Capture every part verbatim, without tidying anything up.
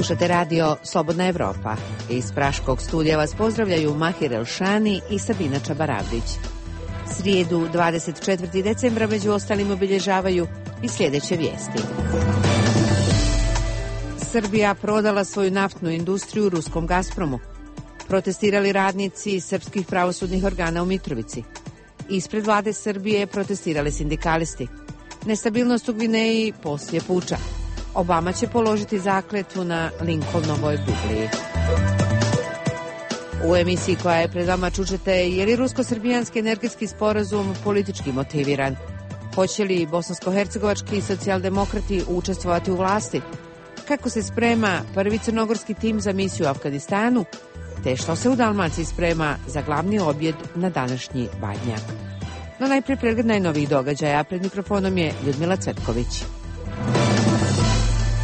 Slušate radio Slobodna Evropa. Iz Praškog studija vas pozdravljaju Mahir Elšani i Sabina Čabaravdić. Srijedu dvadeset četvrtog decembra među ostalim obilježavaju i sljedeće vijesti. Srbija prodala svoju naftnu industriju ruskom Gazpromu. Protestirali radnici srpskih pravosudnih organa u Mitrovici. Ispred vlade Srbije protestirali sindikalisti. Nestabilnost u Gvineji poslije puča. Obama će položiti zakletvu na Lincolnovoj Bibliji. U emisiji koja je pred vama čućete je li rusko-srbijanski energetski sporazum politički motiviran? Hoće li bosansko-hercegovački socijaldemokrati učestvovati u vlasti? Kako se sprema prvi crnogorski tim za misiju u Afganistanu? Te što se u Dalmaciji sprema za glavni objed na današnji Badnjak? No najprije pregled najnovijih događaja. Pred mikrofonom je Ljudmila Cvetković.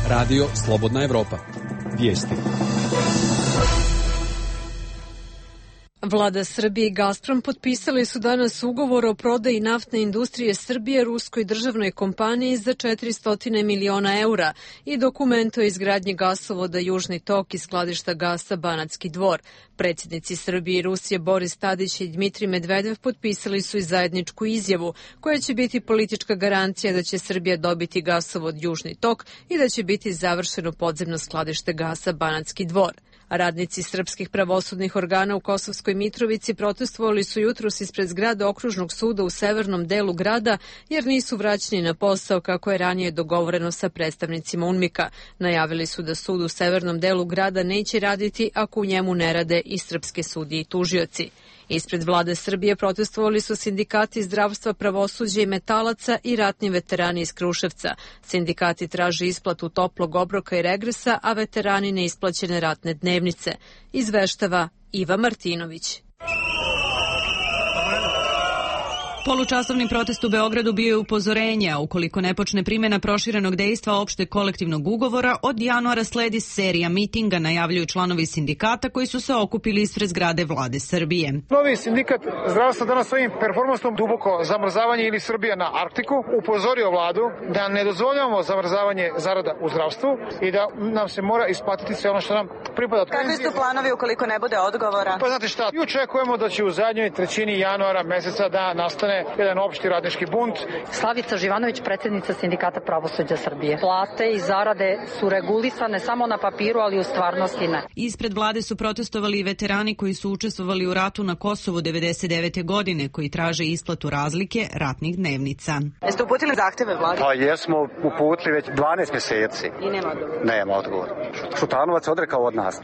Radio Slobodna Evropa. Vijesti. Vlada Srbije i Gazprom potpisali su danas ugovor o prodaji naftne industrije Srbije ruskoj državnoj kompaniji za četiristo miliona eura i dokument o izgradnji gasovoda Južni tok i skladišta gasa Banatski Dvor. Predsjednici Srbije i Rusije Boris Tadić i Dmitrij Medvedev potpisali su i zajedničku izjavu koja će biti politička garancija da će Srbija dobiti gasovod Južni tok i da će biti završeno podzemno skladište gasa Banatski Dvor. Radnici srpskih pravosudnih organa u Kosovskoj Mitrovici protestovali su jutros ispred zgrade okružnog suda u severnom delu grada jer nisu vraćeni na posao kako je ranije dogovoreno sa predstavnicima UNMIK-a. Najavili su da sud u severnom delu grada neće raditi ako u njemu ne rade i srpske sudije i tužioci. Ispred vlade Srbije protestovali su sindikati zdravstva, pravosuđa i metalaca i ratni veterani iz Kruševca. Sindikati traže isplatu toplog obroka i regresa, a veterani neisplaćene ratne dnevnice. Izveštava Iva Martinović. Polučasovni protest u Beogradu bio je upozorenje, a ukoliko ne počne primjena proširenog dejstva opšteg kolektivnog ugovora, od januara sledi serija mitinga, najavljuju članovi sindikata koji su se okupili ispred zgrade vlade Srbije. Novi sindikat zdravstva danas svojim performansom duboko zamrzavanje ili Srbija na Arktiku upozorio vladu da ne dozvoljavamo zamrzavanje zarada u zdravstvu i da nam se mora isplatiti sve ono što nam pripada. Kakvi su planovi ukoliko ne bude odgovora? Pa znate šta, i očekujemo da će u zadnjoj trećini januara meseca da nastane jedan opšti radnički bunt. Slavica Živanović, predsjednica Sindikata pravosuđa Srbije. Plate i zarade su regulisane samo na papiru, ali u stvarnosti ne. Ispred vlade su protestovali i veterani koji su učestvovali u ratu na Kosovu devedeset devete godine, koji traže isplatu razlike ratnih dnevnica. Jeste uputili zahteve vlade? Pa jesmo uputili već dvanaest mjeseci. I nema odgovora? Nema odgovora. Šutanovac odrekao od nas.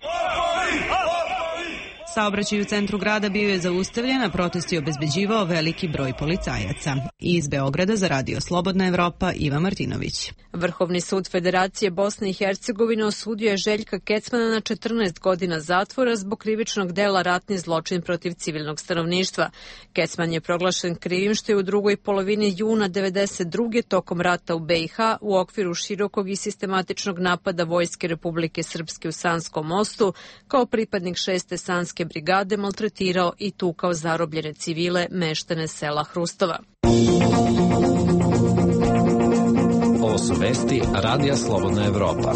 Saobraćaj u centru grada bio je zaustavljen, a protest je obezbeđivao veliki broj policajaca. Iz Beograda za radio Slobodna Evropa, Iva Martinović. Vrhovni sud Federacije Bosne i Hercegovine osudio je Željka Kecmana na četrnaest godina zatvora zbog krivičnog dela ratni zločin protiv civilnog stanovništva. Kecman je proglašen krivim što je u drugoj polovini juna devedeset druge tokom rata u B i H u okviru širokog i sistematičnog napada Vojske Republike Srpske u Sanskom mostu kao pripadnik šeste Sanske brigade maltretirao i tukao zarobljene civile meštane sela Hrustova. Ovo su vesti Radija Slobodna Evropa.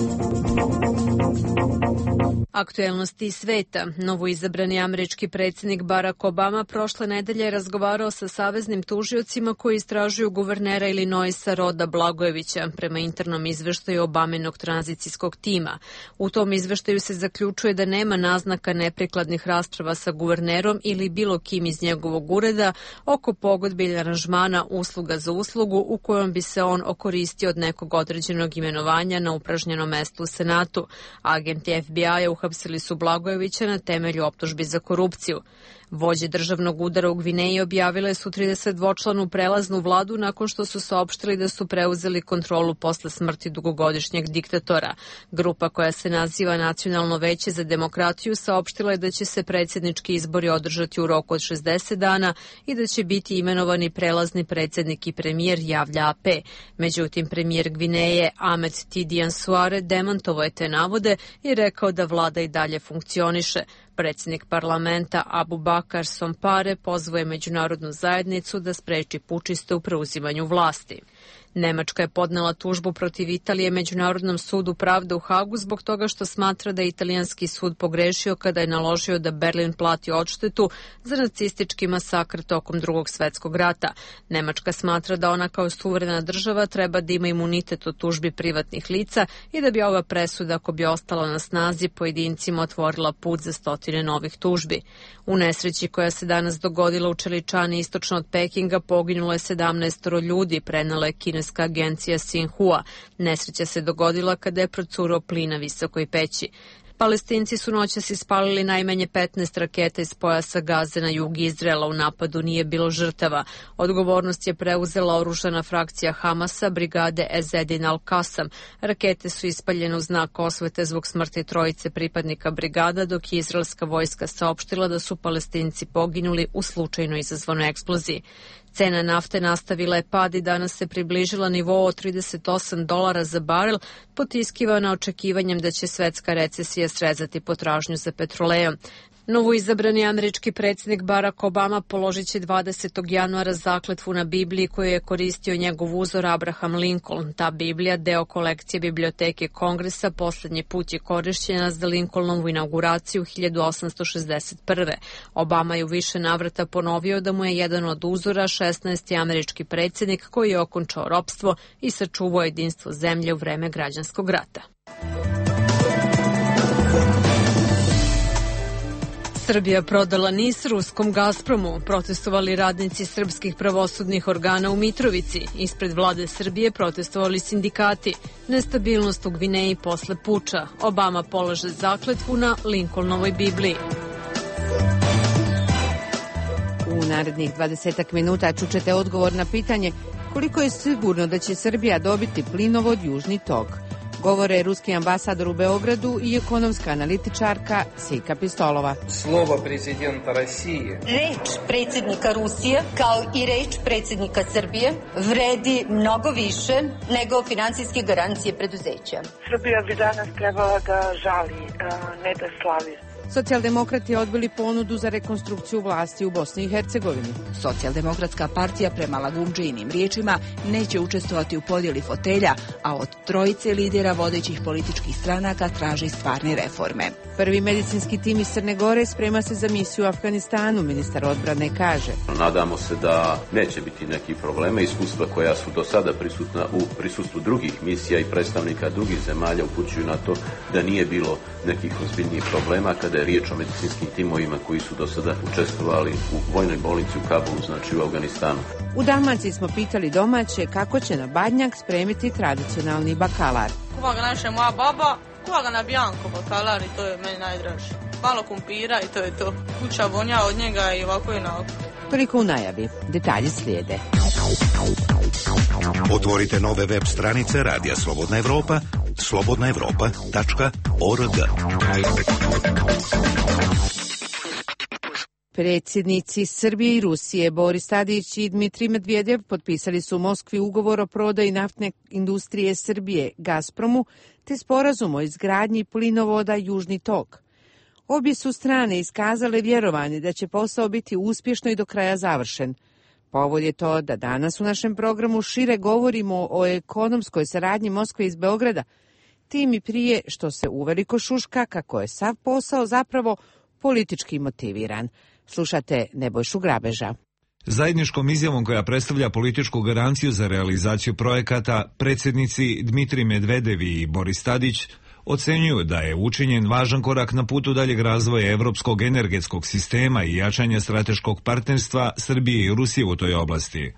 Aktuelnosti iz sveta. Novoizabrani američki predsjednik Barack Obama prošle nedelje je razgovarao sa saveznim tužiocima koji istražuju guvernera Illinoisa Roda Blagojevića prema internom izveštaju Obaminog tranzicijskog tima. U tom izveštaju se zaključuje da nema naznaka neprikladnih rasprava sa guvernerom ili bilo kim iz njegovog ureda oko pogodbe ili aranžmana usluga za uslugu u kojom bi se on okoristio od nekog određenog imenovanja na upražnjeno mesto u Senatu. Agenti F B I-a uhapsili su Blagojevića na temelju optužbi za korupciju. Vođe državnog udara u Gvineji objavile su tridesetdvočlanu prelaznu vladu nakon što su saopštili da su preuzeli kontrolu posle smrti dugogodišnjeg diktatora. Grupa koja se naziva Nacionalno veće za demokratiju saopštila je da će se predsjednički izbori održati u roku od šezdeset dana i da će biti imenovani prelazni predsjednik i premijer, javlja A P. Međutim, premijer Gvineje Ahmed Tidiane Suare demantovao je te navode i rekao da vlada i dalje funkcioniše. Predsjednik parlamenta Abubakar Sompare pozvao je međunarodnu zajednicu da spreči pučiste u preuzimanju vlasti. Nemačka je podnela tužbu protiv Italije Međunarodnom sudu pravde u Hagu zbog toga što smatra da je italijanski sud pogrešio kada je naložio da Berlin plati odštetu za nacistički masakr tokom Drugog svetskog rata. Nemačka smatra da ona kao suverena država treba da ima imunitet od tužbi privatnih lica i da bi ova presuda, ako bi ostala na snazi, pojedincima otvorila put za stotine novih tužbi. U nesreći koja se danas dogodila u Čeličani istočno od Pekinga poginulo je sedamnaestoro ljudi, prenela je kineska agencija Xinhua. Nesreća se dogodila kada je procurao plin na visokoj peći. Palestinci su noćas ispalili najmanje petnaest raketa iz pojasa Gaze na jug Izraela. U napadu nije bilo žrtava. Odgovornost je preuzela oružana frakcija Hamasa, brigade Ezedin al-Kasam. Rakete su ispaljene u znak osvete zbog smrti trojice pripadnika brigada, dok je izraelska vojska saopštila da su Palestinci poginuli u slučajno izazvanoj eksploziji. Cena nafte nastavila je pad i danas se približila nivou od trideset osam dolara za barel, potiskivana očekivanjem da će svetska recesija srezati potražnju za petrolejom. Novoizabrani američki predsjednik Barack Obama položit će dvadesetog januara zakletvu na Bibliji koju je koristio njegov uzor Abraham Lincoln. Ta Biblija, deo kolekcije Biblioteke Kongresa, posljednji put je korišćena za Lincolnovu inauguraciju hiljadu osamsto šezdeset prve. Obama je u više navrata ponovio da mu je jedan od uzora šesnaesti američki predsjednik koji je okončao ropstvo i sačuvao jedinstvo zemlje u vreme građanskog rata. Srbija prodala NIS ruskom Gazpromu. Protestovali radnici srpskih pravosudnih organa u Mitrovici. Ispred vlade Srbije protestovali sindikati. Nestabilnost u Gvineji posle puča. Obama polaže zakletvu na Lincolnovoj Bibliji. U narednih dvadesetak minuta čućete odgovor na pitanje koliko je sigurno da će Srbija dobiti plinovod Južni tok. Govore ruski ambasador u Beogradu i ekonomska analitičarka Sika Pistolova. Slovo prezidenta Rusije. Reč predsjednika Rusije, kao i reč predsjednika Srbije, vredi mnogo više nego finansijske garancije preduzeća. Srbija bi danas trebala da žali, ne da slavi. Socijaldemokrati odbili ponudu za rekonstrukciju vlasti u Bosni i Hercegovini. Socijaldemokratska partija prema Lagundžijinim riječima neće učestvovati u podjeli fotelja, a od trojice lidera vodećih političkih stranaka traži stvarne reforme. Prvi medicinski tim iz Crne Gore sprema se za misiju u Afganistanu, ministar odbrane kaže. Nadamo se da neće biti nekih problema. Iskustva koja su do sada prisutna u prisustvu drugih misija i predstavnika drugih zemalja upućuju na to da nije bilo nekih ozbiljnijih problema kada je riječ o medicinskim timovima koji su do sada učestvovali u vojnoj bolnici u Kabulu, znači u Afganistanu. U Dalmaciji smo pitali domaće kako će na Badnjak spremiti tradicionalni bakalar. Kuva ga naša moja baba, kuva ga na bianco bakalar i to je meni najdraže. Malo kumpira i to je to. Kuća vonja od njega i ovako i onako. Toliko u najavi. Detalji slijede. Otvorite nove web stranice Radija Slobodna Evropa, slobodna evropa tačka org. Predsjednici Srbije i Rusije Boris Tadić i Dmitrij Medvedev potpisali su u Moskvi ugovor o prodaji naftne industrije Srbije Gazpromu te sporazum o izgradnji plinovoda Južni tok. Obje su strane iskazale vjerovanje da će posao biti uspješno i do kraja završen. Povod je to da danas u našem programu šire govorimo o ekonomskoj saradnji Moskve iz Beograda, tim i prije što se uveliko šuška kako je sav posao zapravo politički motiviran. Slušate Nebojšu Grabeža. Zajedničkom izjavom koja predstavlja političku garanciju za realizaciju projekata, predsjednici Dmitrij Medvedev i Boris Tadić ocenjuju da je učinjen važan korak na putu daljeg razvoja evropskog energetskog sistema i jačanja strateškog partnerstva Srbije i Rusije u toj oblasti.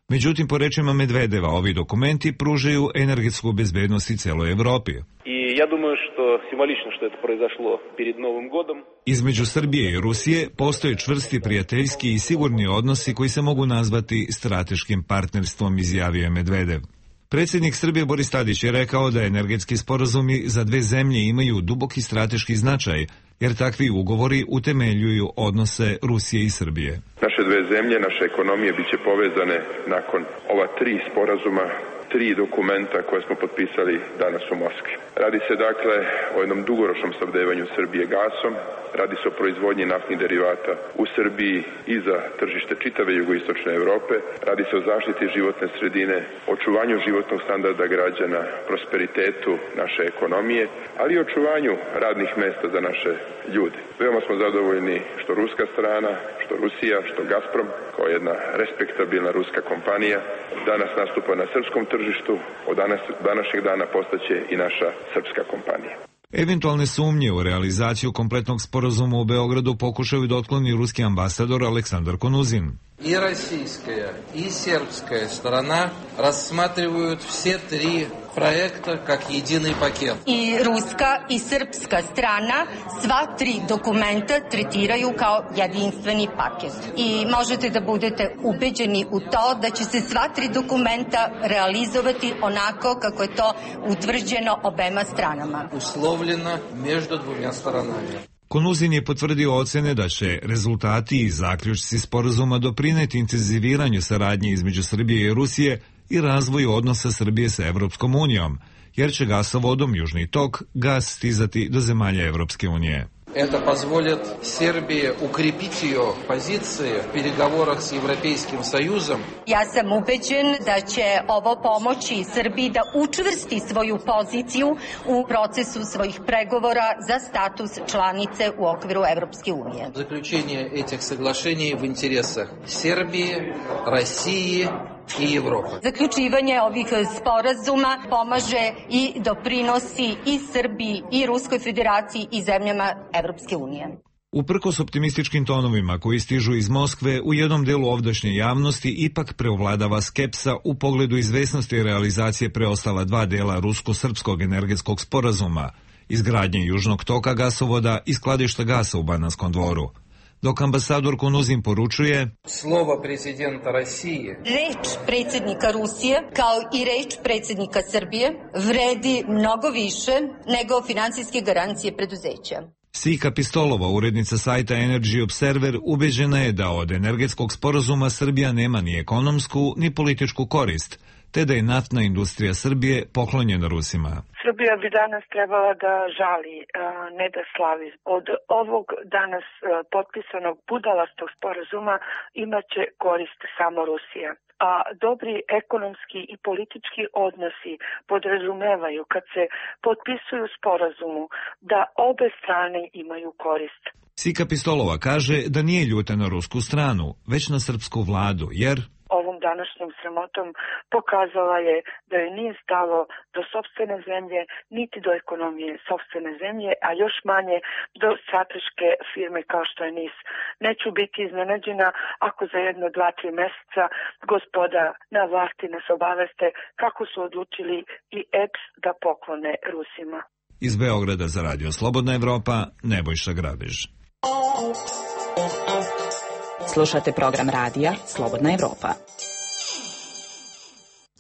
Međutim, po rečima Medvedeva, ovi dokumenti pružaju energetsku bezbednost i celoj Evropi. I ja думаю, što simbolično što je to произошло перед Novim godom. Između Srbije i Rusije postoje čvrsti prijateljski i sigurni odnosi koji se mogu nazvati strateškim partnerstvom, izjavio je Medvedev. Predsjednik Srbije Boris Tadić je rekao da energetski sporazumi za dve zemlje imaju duboki strateški značaj, jer takvi ugovori utemeljuju odnose Rusije i Srbije. Naše dve zemlje, naše ekonomije biće povezane nakon ova tri sporazuma, tri dokumenta koje smo potpisali danas u Moskvi. Radi se dakle o jednom dugoročnom snabdevanju Srbije gasom, radi se o proizvodnji naftnih derivata u Srbiji i za tržište čitave jugoistočne Evrope, radi se o zaštiti životne sredine, očuvanju životnog standarda građana, prosperitetu naše ekonomije, ali i očuvanju radnih mesta za naše ljude. Veoma smo zadovoljni što ruska strana, što Rusija, što Gazprom, kao jedna respektabilna ruska kompanija, danas nastupa na srpskom tržištu, od danas, današnjeg dana postaće i naša srpska kompanija. Eventualne sumnje u realizaciju kompletnog sporazuma u Beogradu pokušaju da otkloni ruski ambasador Aleksandar Konuzin. И российская, и сербская сторона рассматривают все три проекта как единый пакет. I ruska i srpska strana sva tri dokumenta tretiraju kao jedinstveni paket. I možete da budete ubeđeni u to da će se sva tri dokumenta realizovati onako kako je to utvrđeno obema stranama. Uslovljeno među dvoma stranama. Konuzin je potvrdio ocene da će rezultati i zaključci sporazuma doprineti intenziviranju saradnje između Srbije i Rusije i razvoju odnosa Srbije sa Evropskom unijom, jer će gasovodom Južni tok gas stizati do zemalja Evropske unije. Это позволит Сербии укрепить ее позиции в переговорах с Европейским Союзом. Ja sam ubeđen da će ovo pomoći Srbiji da učvrsti svoju poziciju u procesu svojih pregovora za status članice u okviru Evropske unije. Заключение этих соглашений в интересах Сербии, России i Evropa. Zaključivanje ovih sporazuma pomaže i doprinosi i Srbiji i Ruskoj federaciji i zemljama Evropske unije. Uprkos optimističkim tonovima koji stižu iz Moskve, u jednom delu ovdašnje javnosti ipak preovladava skepsa u pogledu izvesnosti realizacije preostala dva dela rusko-srpskog energetskog sporazuma, izgradnje Južnog toka gasovoda i skladišta gasa u Bananskom dvoru. Dok ambasador Konuzin poručuje: Slovo prezidenta Rusije. Reč predsjednika Rusije, kao i reč predsjednika Srbije, vredi mnogo više nego finansijske garancije preduzeća. Sika Pistolova, urednica sajta Energy Observer, ubeđena je da od energetskog sporazuma Srbija nema ni ekonomsku ni političku korist, te da je naftna industrija Srbije poklonjena Rusima. Srbija bi danas trebala da žali, ne da slavi. Od ovog danas potpisanog budalastog sporazuma imaće korist samo Rusija. A dobri ekonomski i politički odnosi podrazumevaju kad se potpisuju sporazumu da obe strane imaju korist. Sika Pistolova kaže da nije ljuta na rusku stranu, već na srpsku vladu, jer ovom današnjom sramotom pokazala je da joj nije stalo do sopstvene zemlje, niti do ekonomije sopstvene zemlje, a još manje do strateške firme kao što je N I S. Neću biti iznenađena ako za jedno, dva, tri meseca gospoda na vlasti nas obaveste kako su odlučili i E P S da poklone Rusima. Iz Beograda za Radio Slobodna Evropa, Nebojša Grabež. Slušate program radija Slobodna Evropa.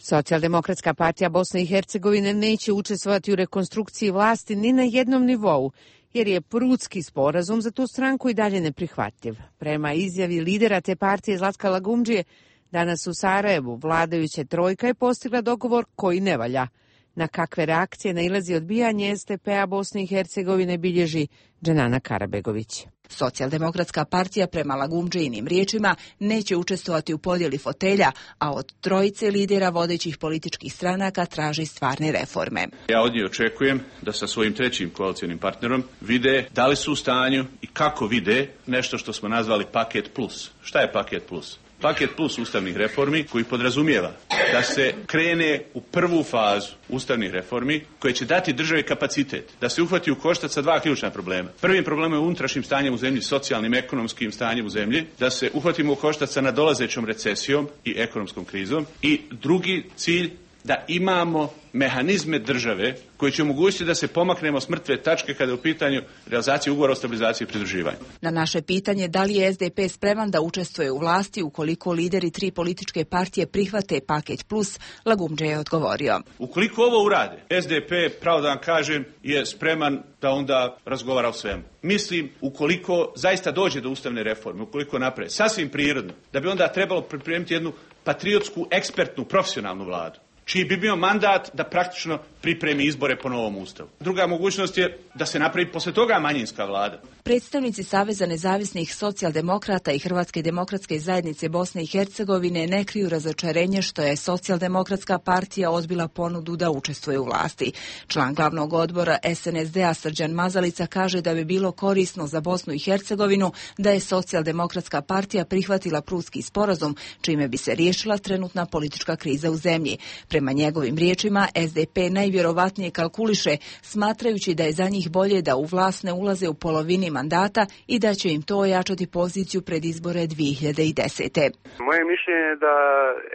Socijaldemokratska partija Bosne i Hercegovine neće učestvovati u rekonstrukciji vlasti ni na jednom nivou, jer je Prudski sporazum za tu stranku i dalje neprihvatljiv. Prema izjavi lidera te partije Zlatka Lagumdžije, danas u Sarajevu vladajuća trojka je postigla dogovor koji ne valja. Na kakve reakcije nailazi odbijanje S D P-a Bosne i Hercegovine bilježi Dženana Karabegović. Socijaldemokratska partija prema Lagumdžijinim riječima neće učestvovati u podjeli fotelja, a od trojice lidera vodećih političkih stranaka traži stvarne reforme. Ja od nje očekujem da sa svojim trećim koalicijonim partnerom vide da li su u stanju i kako vide nešto što smo nazvali paket plus. Šta je paket plus? Paket plus ustavnih reformi koji podrazumijeva da se krene u prvu fazu ustavnih reformi koje će dati državi kapacitet da se uhvati u koštac sa dva ključna problema. Prvim problemom je unutrašnjim stanjem u zemlji, socijalnim, ekonomskim stanjem u zemlji, da se uhvatimo u koštac sa nadolazećom recesijom i ekonomskom krizom. I drugi cilj, da imamo mehanizme države koji će omogućiti da se pomaknemo s mrtve tačke kada je u pitanju realizacije ugovora o stabilizaciji i pridruživanju. Na naše pitanje da li je S D P spreman da učestvuje u vlasti ukoliko lideri tri političke partije prihvate paket plus, Lagumdže je odgovorio: ukoliko ovo urade, S D P, pravo da vam kažem, je spreman da onda razgovara o svemu. Mislim, ukoliko zaista dođe do ustavne reforme, ukoliko napravi, sasvim prirodno, da bi onda trebalo pripremiti jednu patriotsku, ekspertnu, profesionalnu vladu. čiji bi bio mandat da praktično pripremi izbore po novom ustavu. Druga mogućnost je da se napravi posle toga manjinska vlada. Predstavnici Saveza nezavisnih socijaldemokrata i Hrvatske demokratske zajednice Bosne i Hercegovine ne kriju razočarenje što je Socijaldemokratska partija odbila ponudu da učestvuje u vlasti. Član glavnog odbora es en es de-a Srđan Mazalica kaže da bi bilo korisno za Bosnu i Hercegovinu da je Socijaldemokratska partija prihvatila Prutski sporazum, čime bi se riješila trenutna politička kriza u zemlji. Prema njegovim riječima, es de pe najvjerovatnije kalkuliše, smatrajući da je za njih bolje da u vlast ne ulaze u polovini mandata i da će im to ojačati poziciju pred izbore dvije hiljade desete. Moje mišljenje je da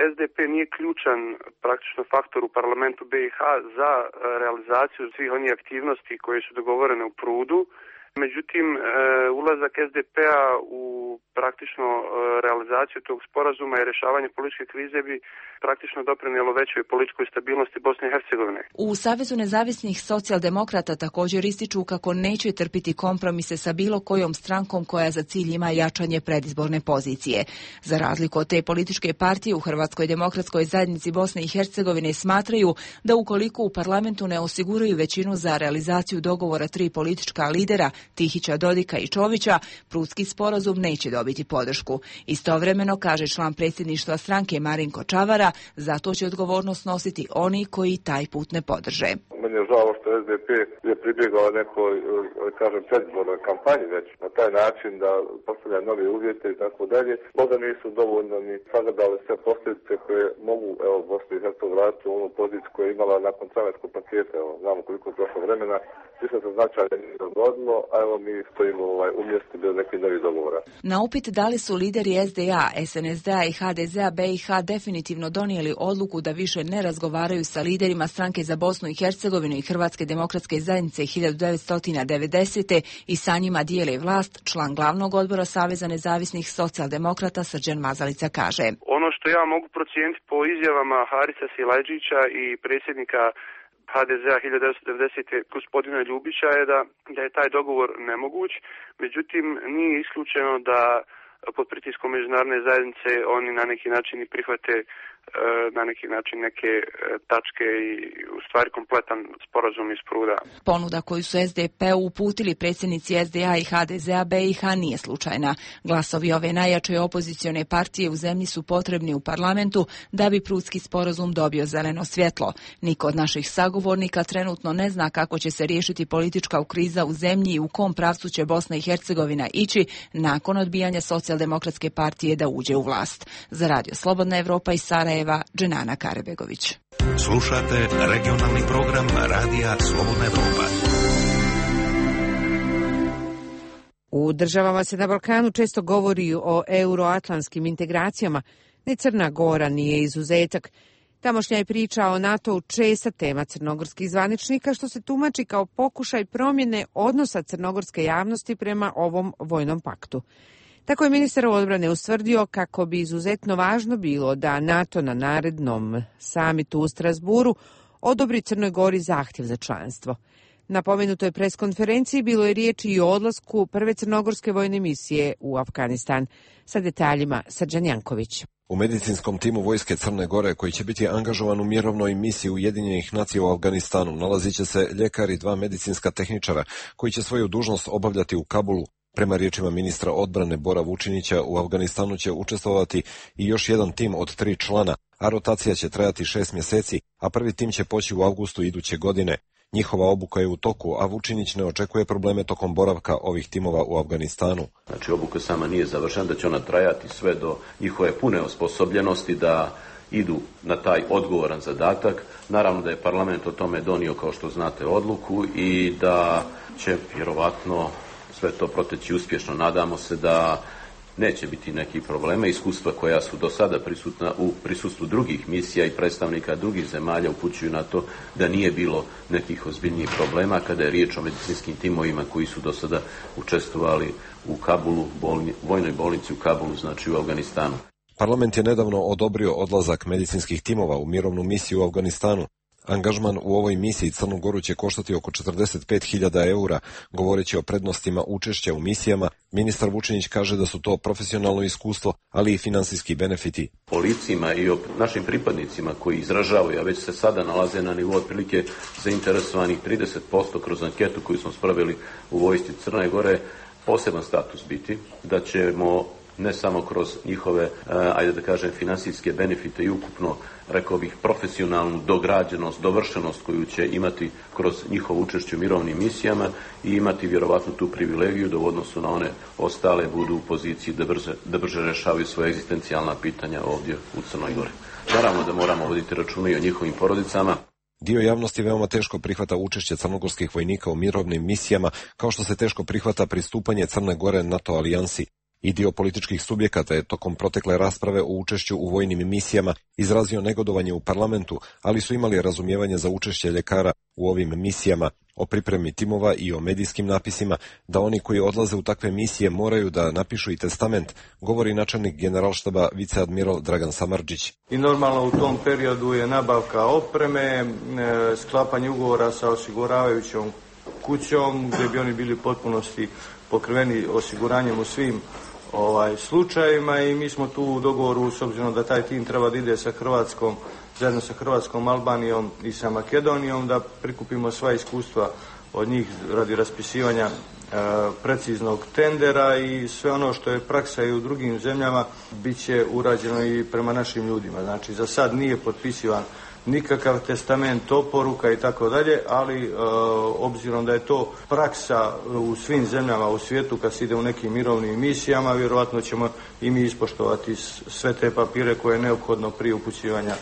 es de pe nije ključan praktično faktor u parlamentu be i ha za realizaciju svih onih aktivnosti koje su dogovorene u Prudu. Međutim, ulazak es de pe-a u praktično realizaciju tog sporazuma i rješavanje političke krize bi praktično doprinijelo većoj političkoj stabilnosti Bosne i Hercegovine. U Savezu nezavisnih socijaldemokrata također ističu kako neće trpiti kompromise sa bilo kojom strankom koja za cilj ima jačanje predizborne pozicije. Za razliku od te političke partije u Hrvatskoj demokratskoj zajednici Bosne i Hercegovine smatraju da ukoliko u parlamentu ne osiguraju većinu za realizaciju dogovora tri politička lidera Tihića, Dodika i Čovića, Prutski sporazum neće dobiti podršku. Istovremeno, kaže član predsjedništva stranke Marinko Čavara, zato će odgovornost nositi oni koji taj put ne podrže. Meni je žao što es de pe je pribjegao nekoj, kažem, predizbornoj kampanji već na taj način da postavlja nove uvjete i tako dalje. Možda nisu dovoljno ni sagledali sve posljedice koje mogu, evo, Bosnu i Hercegovinu vratiti u onu poziciju koju je imala nakon carinskog paketa. Evo, znamo koliko je prošlo vremena. Ništa se značajno nije dogodilo, a evo mi stojimo ovaj, umjesto bez nekih novih dogovora. Na upit da li su lideri es de a, es en es de-a i ha de ze-a be i ha definitivno donijeli odluku da više ne razgovaraju sa liderima stranke za Bosnu i Hercegovinu i Hrvatske demokratske zajednice hiljadu devetsto devedesete i sa njima dijele vlast, član glavnog odbora Saveza nezavisnih socijaldemokrata Srđan Mazalica kaže. Ono što ja mogu procijeniti po izjavama Harisa Silajđića i predsjednika ha de ze-a hiljadu devetsto devedesete gospodina Ljubića je da, da je taj dogovor nemoguć, međutim nije isključeno da pod pritiskom međunarodne zajednice oni na neki način i prihvate na neki način neke tačke i u stvari kompletan sporazum iz Pruda. Ponuda koju su es de pe uputili predsjednici es de a i ha de ze-a be i ha nije slučajna. Glasovi ove najjače opozicione partije u zemlji su potrebni u parlamentu da bi Prudski sporazum dobio zeleno svjetlo. Niko od naših sagovornika trenutno ne zna kako će se riješiti politička kriza u zemlji i u kom pravcu će Bosna i Hercegovina ići nakon odbijanja Socijaldemokratske partije da uđe u vlast. Za Radio Slobodna Evropa iz Sarajeva, Dženana Karebegović. Slušate regionalni program Radija Slobodna Evropa. U državama se na Balkanu često govori o euroatlantskim integracijama, ne Crna Gora nije izuzetak. Tamošnja je priča o NATO-u česta tema crnogorskih zvaničnika, što se tumači kao pokušaj promjene odnosa crnogorske javnosti prema ovom vojnom paktu. Tako je ministar odbrane ustvrdio kako bi izuzetno važno bilo da NATO na narednom samitu u Strasburu odobri Crnoj Gori zahtjev za članstvo. Na pomenutoj preskonferenciji bilo je riječi i o odlasku prve crnogorske vojne misije u Afganistan. Sa detaljima Srđan Janković. U medicinskom timu vojske Crne Gore, koji će biti angažovan u mirovnoj misiji Ujedinjenih nacija u Afganistanu, nalazit će se ljekar i dva medicinska tehničara koji će svoju dužnost obavljati u Kabulu. Prema riječima ministra odbrane Bora Vučinića, u Afganistanu će učestvovati i još jedan tim od tri člana, a rotacija će trajati šest mjeseci, a prvi tim će poći u avgustu iduće godine. Njihova obuka je u toku, a Vučinić ne očekuje probleme tokom boravka ovih timova u Afganistanu. Znači, obuka sama nije završena, da će ona trajati sve do njihove pune osposobljenosti da idu na taj odgovoran zadatak. Naravno da je parlament o tome donio, kao što znate, odluku i da će vjerovatno sve to proteći uspješno. Nadamo se da neće biti nekih problema. Iskustva koja su do sada prisutna u prisustvu drugih misija i predstavnika drugih zemalja upućuju na to da nije bilo nekih ozbiljnijih problema kada je riječ o medicinskim timovima koji su do sada učestvovali u Kabulu, bolni, vojnoj bolnici u Kabulu, znači u Afganistanu. Parlament je nedavno odobrio odlazak medicinskih timova u mirovnu misiju u Afganistanu, Angažman u ovoj misiji Crnu Goru će koštati oko četrdeset pet hiljada eura. Govoreći o prednostima učešća u misijama, ministar Vučinić kaže da su to profesionalno iskustvo, ali i finansijski benefiti. O licima i o našim pripadnicima koji izražavaju, a već se sada nalaze na nivou otprilike zainteresovanih trideset posto kroz anketu koju smo spravili u vojsci Crne Gore, poseban status biti, da ćemo ne samo kroz njihove, ajde da kažem, finansijske benefite i ukupno, rekao bih, profesionalnu dograđenost, dovršenost koju će imati kroz njihovo učešće u mirovnim misijama i imati vjerovatno tu privilegiju da u odnosu na one ostale budu u poziciji da brže, da brže rešavaju svoje egzistencijalna pitanja ovdje u Crnoj Gori. Naravno da moramo voditi računa i o njihovim porodicama. Dio javnosti veoma teško prihvata učešće crnogorskih vojnika u mirovnim misijama, kao što se teško prihvata pristupanje Crne Gore NATO alijansi. I dio političkih subjekata je tokom protekle rasprave o učešću u vojnim misijama izrazio negodovanje u parlamentu, ali su imali razumijevanje za učešće ljekara u ovim misijama, o pripremi timova i o medijskim napisima, da oni koji odlaze u takve misije moraju da napišu i testament, govori načelnik generalštaba viceadmiral Dragan Samardžić. I normalno u tom periodu je nabavka opreme, sklapanje ugovora sa osiguravajućom kućom, gdje bi oni bili u potpunosti pokriveni osiguranjem u svim ovaj, slučajevima i mi smo tu u dogovoru, s obzirom da taj tim treba da ide sa Hrvatskom, zajedno sa Hrvatskom, Albanijom i sa Makedonijom, da prikupimo sva iskustva od njih radi raspisivanja e, preciznog tendera i sve ono što je praksa i u drugim zemljama bit će urađeno i prema našim ljudima. Znači, za sad nije potpisivan nikakav testament, oporuka i tako dalje, ali e, obzirom da je to praksa u svim zemljama u svijetu kad se ide u nekim mirovnim misijama, vjerojatno ćemo i mi ispoštovati sve te papire koje je neophodno prije upućivanja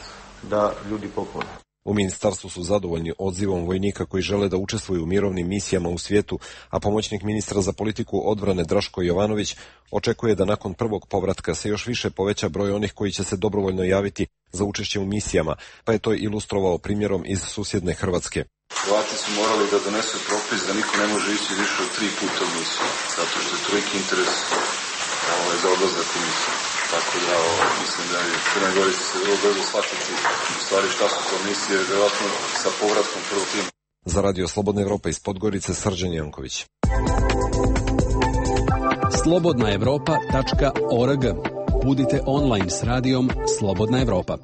da ljudi popune. U ministarstvu su zadovoljni odzivom vojnika koji žele da učestvuju u mirovnim misijama u svijetu, a pomoćnik ministra za politiku odbrane Draško Jovanović očekuje da nakon prvog povratka se još više poveća broj onih koji će se dobrovoljno javiti za učešće u misijama, pa je to ilustrovao primjerom iz susjedne Hrvatske. Hrvati su morali da donesu propis da niko ne može ići više od tri puta u misiju, zato što je toliki interes ovaj, za odlazak u misiju. Tako da o, mislim da je Crna Gora se vrlo brzo shvatiti u stvari šta su to misije, vjerojatno sa povratkom prvog tima. Za Radio Slobodna Evropa iz Podgorice, Srđan Janković. slobodna evropa tačka org. Budite online s radijom Slobodna Evropa.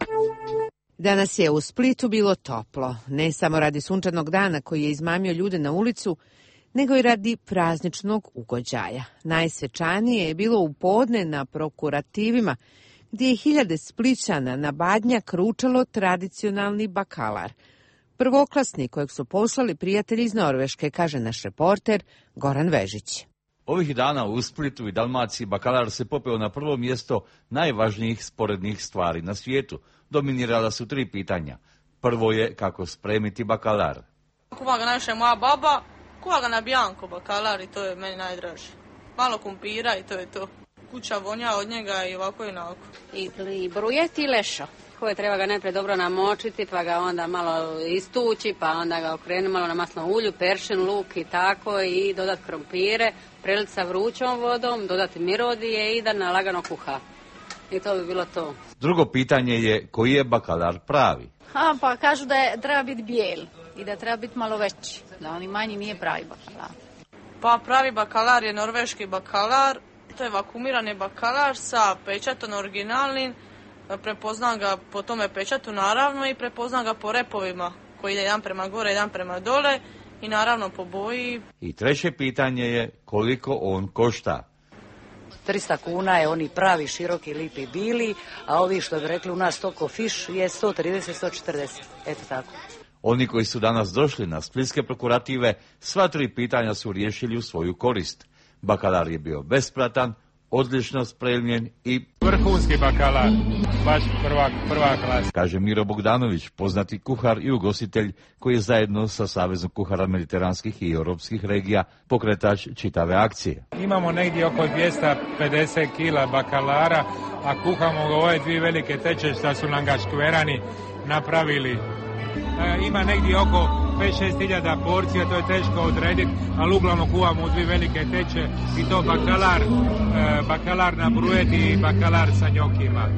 Danas je u Splitu bilo toplo, ne samo radi sunčanog dana koji je izmamio ljude na ulicu, nego i radi prazničnog ugođaja. Najsvečanije je bilo u podne na prokurativima, gdje je hiljade Splićana na Badnjak ručalo tradicionalni bakalar. Prvoklasni kojeg su poslali prijatelji iz Norveške, kaže naš reporter Goran Vežić. Ovih dana u Splitu i Dalmaciji bakalar se popeo na prvo mjesto najvažnijih sporednih stvari na svijetu. Dominirala su tri pitanja. Prvo je kako spremiti bakalar. Kuva ga najviše moja baba, kuva ga na bianco bakalar i to je meni najdraže. Malo kumpira i to je to. Kuća vonja od njega i ovako i onako. I, i brujet i lešo. Koje treba ga najprije dobro namočiti, pa ga onda malo istući, pa onda ga okrenuti malo na masnom ulju, peršin, luk i tako i dodati krompire, preliti sa vrućom vodom, dodati mirodije i da na lagano kuha. I to bi bilo to. Drugo pitanje je koji je bakalar pravi? A, pa kažu da je, treba biti bijel i da treba biti malo veći, da oni manji nije pravi bakalar. Pa pravi bakalar je norveški bakalar, to je vakumirani bakalar sa pečatom originalnim. Prepoznam ga po tome pečatu naravno i prepoznam ga po repovima koji ide jedan prema gore, jedan prema dole i naravno po boji. I treće pitanje je koliko on košta. trista kuna je oni pravi, široki, lipi, bili, a ovi što bi rekli u nas toko fiš je sto trideset do sto četrdeset. Eto tako. Oni koji su danas došli na splitske prokurative, sva tri pitanja su riješili u svoju korist. Bakalar je bio besplatan, odlično spremljen i vrhunski bakalar, baš prva, prva klasa. Kaže Miro Bogdanović, poznati kuhar i ugostitelj koji je zajedno sa Savezom kuhara mediteranskih i europskih regija pokretač čitave akcije. Imamo negdje oko dvjesto pedeset kila bakalara, a kuhamo ga ove dvije velike teče što su nam ga škverani napravili. E, ima negdje oko pet šest hiljada porcija, to je teško odrediti, ali uglavnom kuvamo u dvije velike teče i to bakalar, e, bakalar na brujeti i bakalar sa njokima.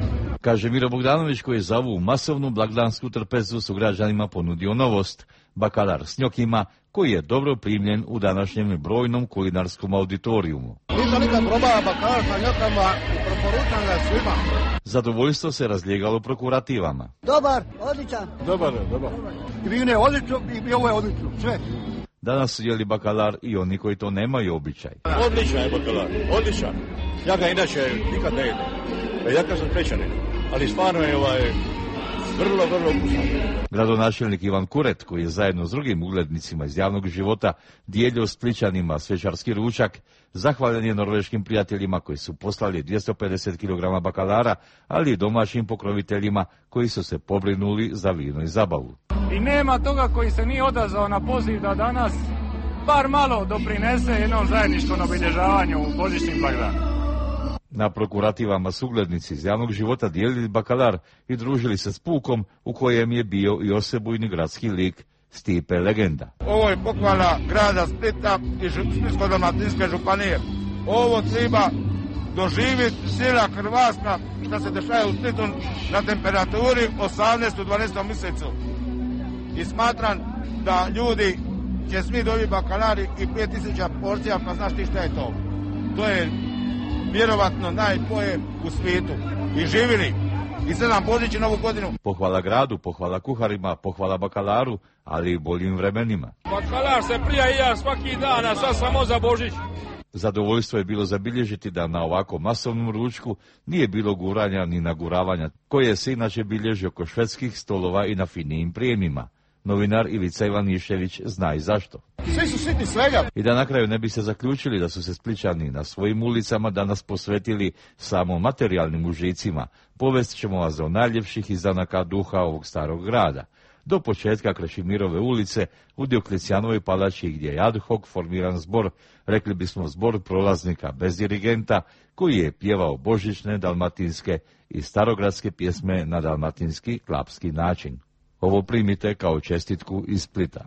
Kaže Miro Bogdanović, koji je za ovu masovnu blagdansku trpezu su građanima ponudio novost, bakalar s njokima, koji je dobro primljen u današnjem brojnom kulinarskom auditorijumu. Nisam nikad probao bakalar sa njokama i preporučam ga svima. Zadovoljstvo se razlijegalo prokurativama. Dobar, odličan. Dobar, dobar. I vino je odlično, i ovo je odlično, sve. Danas su jeli bakalar i oni koji to nemaju običaj. Odličan je bakalar, odličan. Ja ga inače nikad ne jedem. Ja kad sam prečanin, ali stvarno je ovaj vrlo, vrlo ukusan. Gradonačelnik Ivan Kuret, koji je zajedno s drugim uglednicima iz javnog života dijelio Splićanima svečarski ručak, zahvaljen je norveškim prijateljima koji su poslali dvjesto pedeset kilograma bakalara, ali i domaćim pokroviteljima koji su se pobrinuli za vino i zabavu. I nema toga koji se nije odazvao na poziv da danas bar malo doprinese jednom zajedništvu na obilježavanju božićnih blagdana. Na prokurativama su uglednici iz javnog života dijelili bakalar i družili se s pukom u kojem je bio i osebujni gradski lik Stipe Legenda. Ovo je pohvala grada Splita i Splitsko-dalmatinske županije. Ovo treba doživjeti sila Hrvatska što se dešava u Splitu na temperaturi osamnaestom dvanaestom mjesecu. I smatram da ljudi će smi dobiti bakalari i pet tisuća porcija, pa znaš ti šta je to. To je vjerovatno najbolje u svijetu. I živili. I sedam Božić i Novu godinu. Pohvala gradu, pohvala kuharima, pohvala bakalaru, ali i boljim vremenima. Bakalar se prija i ja svaki dan, a sad samo za Božić. Zadovoljstvo je bilo zabilježiti da na ovako masovnom ručku nije bilo guranja ni naguravanja, koje se inače bilježi oko švedskih stolova i na finijim prijemima. Novinar Ivica Ivanišević zna i zašto. Svi su sitni svega. I da na kraju ne bi se zaključili da su se Splićani na svojim ulicama danas posvetili samo materijalnim užicima, povest ćemo vas o najljepših izdanaka duha ovog starog grada. Do početka Krešimirove ulice u Dioklecijanovoj palači gdje je ad hoc formiran zbor, rekli bismo zbor prolaznika bez dirigenta, koji je pjevao božićne dalmatinske i starogradske pjesme na dalmatinski klapski način. Ovo primite kao čestitku iz Splita.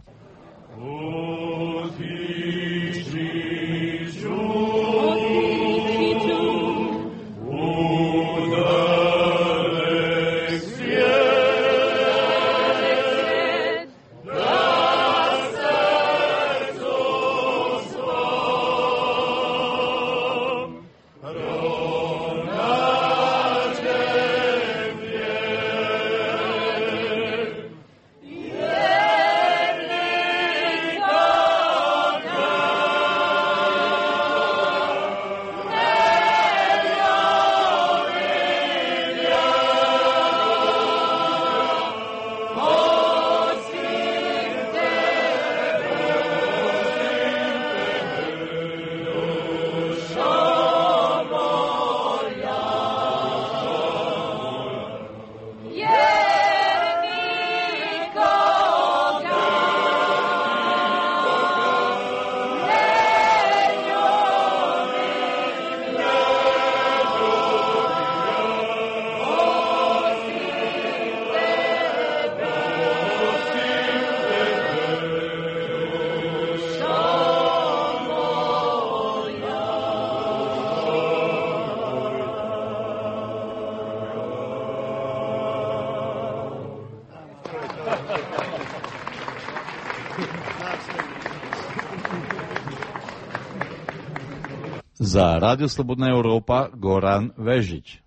Za Radio Slobodna Europa, Goran Vežić.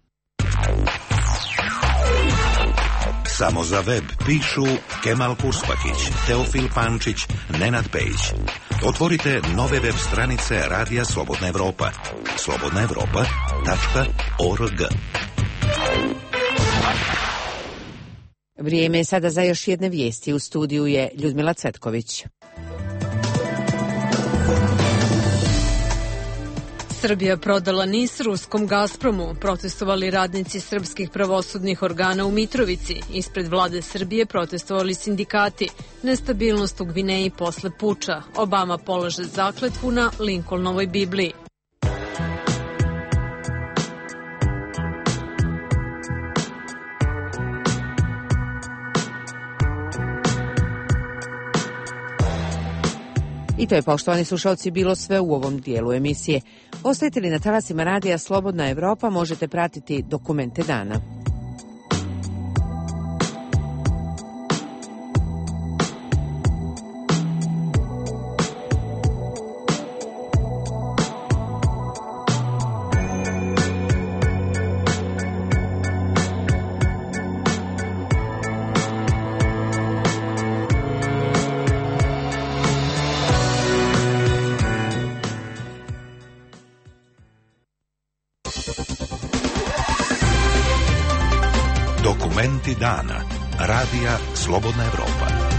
Samo za web pišu Kemal Kurspakić, Teofil Pančić, Nenad Pejić. Otvorite nove web stranice Radija Slobodna Europa. slobodna europa tačka org. Vrijeme je sada za još jedne vijesti. U studiju je Ljudmila Cvetković. Srbija prodala NIS ruskom Gazpromu, protestovali radnici srpskih pravosudnih organa u Mitrovici. Ispred vlade Srbije protestovali sindikati. Nestabilnost u Gvineji posle puča. Obama polaže zakletvu na Lincolnovoj Bibliji. I to je, poštovani slušalci, bilo sve u ovom dijelu emisije. Ostajete li na talasima radija Slobodna Evropa, možete pratiti dokumente dana. Dokumenti dana. Radija Slobodna Evropa.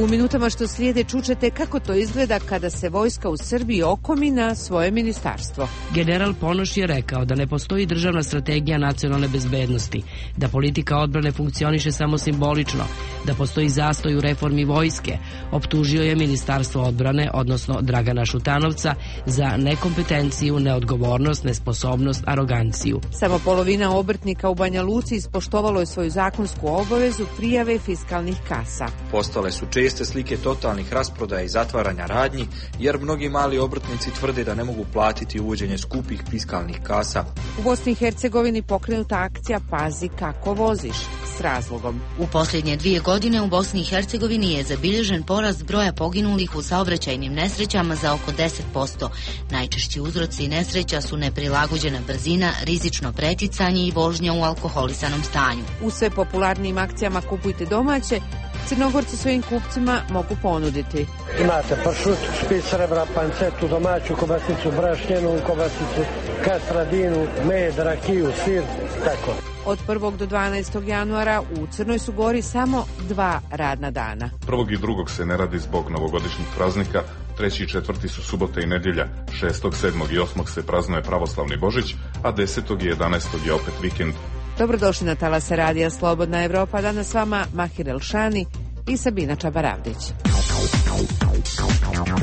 U minutama što slijede čućete kako to izgleda kada se vojska u Srbiji okomi na svoje ministarstvo. General Ponoš je rekao da ne postoji državna strategija nacionalne bezbednosti, da politika odbrane funkcioniše samo simbolično, da postoji zastoj u reformi vojske. Optužio je Ministarstvo odbrane, odnosno Dragana Šutanovca, za nekompetenciju, neodgovornost, nesposobnost, aroganciju. Samo polovina obrtnika u Banja Luci ispoštovalo je svoju zakonsku obavezu prijave fiskalnih kasa. Postale su česte slike totalnih rasprodaja i zatvaranja radnji, jer mnogi mali obrtnici tvrde da ne mogu platiti uvođenje skupih fiskalnih kasa. U Bosni i Hercegovini pokrenuta akcija Pazi kako voziš, s razlogom. U posljednje dvije godine u Bosni i Hercegovini je zabilježen porast broja poginulih u saobraćajnim nesrećama za oko deset posto. Najčešći uzroci nesreća su neprilagođena brzina, rizično preticanje i vožnja u alkoholisanom stanju. U sve popularnijim akcijama Kupujte domaće, Crnogorci svojim kupcima mogu ponuditi. Imate pršut, špic srebra, pancetu, domaću kobasicu, brašnjenu kobasicu, kastradinu, med, rakiju, sir, tako. Od prvog do dvanaestog januara u Crnoj su Gori samo dva radna dana. Prvog i drugog se ne radi zbog novogodišnjih praznika, treći i četvrti su subota i nedjelja, šestog, sedmog i osmog se praznuje pravoslavni Božić, a desetog i jedanaestog je opet vikend. Dobrodošli na talase Radija Slobodna Evropa. Danas s vama Mahir Elšani i Sabina Čabaravdić.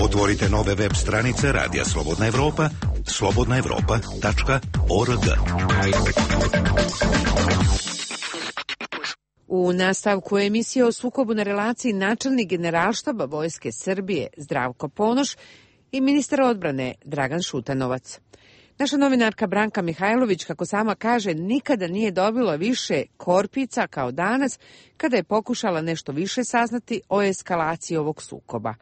Otvorite nove web stranice Radija Slobodna Evropa, slobodna evropa tačka org. U nastavku emisije o sukobu na relaciji načelnik Generalštaba Vojske Srbije Zdravko Ponoš i ministar odbrane Dragan Šutanovac. Naša novinarka Branka Mihajlović, kako sama kaže, nikada nije dobila više korpica kao danas kada je pokušala nešto više saznati o eskalaciji ovog sukoba.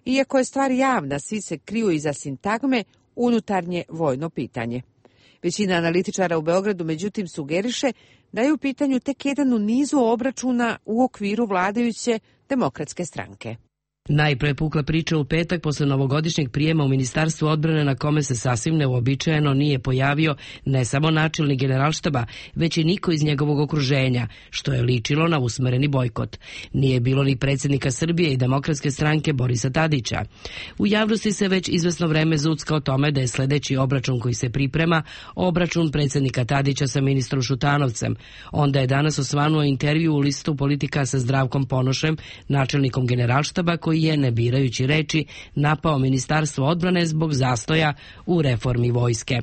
Iako je stvar javna, svi se kriju iza sintagme unutarnje vojno pitanje. Većina analitičara u Beogradu međutim sugeriše da je u pitanju tek jedan u nizu obračuna u okviru vladajuće Demokratske stranke. Najpre pukla priča u petak posle novogodišnjeg prijema u Ministarstvu odbrane na kome se sasvim neuobičajeno nije pojavio ne samo načelnik Generalštaba, već i niko iz njegovog okruženja, što je ličilo na usmereni bojkot. Nije bilo ni predsjednika Srbije i Demokratske stranke Borisa Tadića. U javnosti se već izvesno vreme zucka o tome da je sledeći obračun koji se priprema obračun predsjednika Tadića sa ministrom Šutanovcem. Onda je danas osvanuo intervju u listu Politika sa Zdravkom Ponošem, načelnikom Generalštaba, koji je, ne birajući reči, napao Ministarstvo odbrane zbog zastoja u reformi vojske.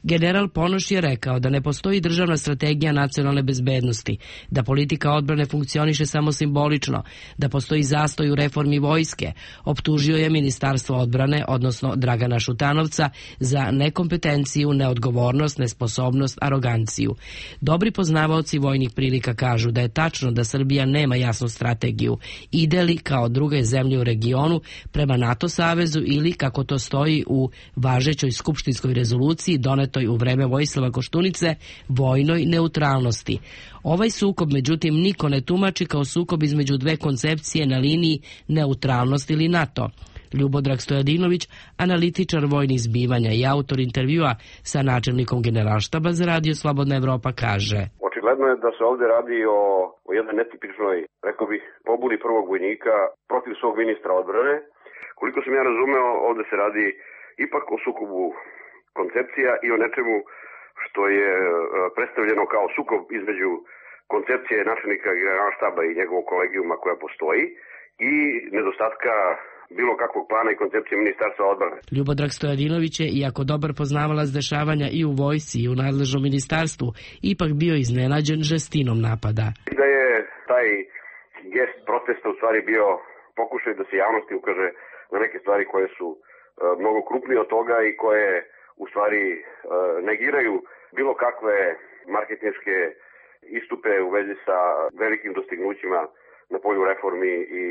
General Ponoš je rekao da ne postoji državna strategija nacionalne bezbednosti, da politika odbrane funkcioniše samo simbolično, da postoji zastoj u reformi vojske. Optužio je Ministarstvo odbrane, odnosno Dragana Šutanovca, za nekompetenciju, neodgovornost, nesposobnost, aroganciju. Dobri poznavaoci vojnih prilika kažu da je tačno da Srbija nema jasnu strategiju. Ide li kao druge zemlje u regionu prema NATO savezu ili, kako to stoji u važećoj skupštinskoj rezoluciji donetoj u vreme Vojislava Koštunice, vojnoj neutralnosti. Ovaj sukob, međutim, niko ne tumači kao sukob između dve koncepcije na liniji neutralnost ili NATO. Ljubodrag Stojadinović, analitičar vojnih zbivanja i autor intervjua sa načelnikom Generalštaba za Radio Slobodna Evropa, kaže: Očigledno je da se ovdje radi o, o jednoj netipičnoj, rekao bih, pobuni prvog vojnika protiv svog ministra odbrane. Koliko sam ja razumeo, ovdje se radi ipak o sukobu koncepcija i o nečemu što je predstavljeno kao sukob između koncepcije načelnika Generalštaba i njegovog kolegijuma koja postoji i nedostatka bilo kakvog plana i koncepcije Ministarstva odbrane. Ljubodrag Stojadinović je, iako dobar poznavalac dešavanja i u vojsci i u nadležnom ministarstvu, ipak bio iznenađen žestinom napada. Da je taj gest protesta u stvari bio pokušaj da se javnosti ukaže na neke stvari koje su uh, mnogo krupnije od toga i koje u stvari uh, negiraju bilo kakve marketinške istupe u vezi sa velikim dostignućima na polju reformi i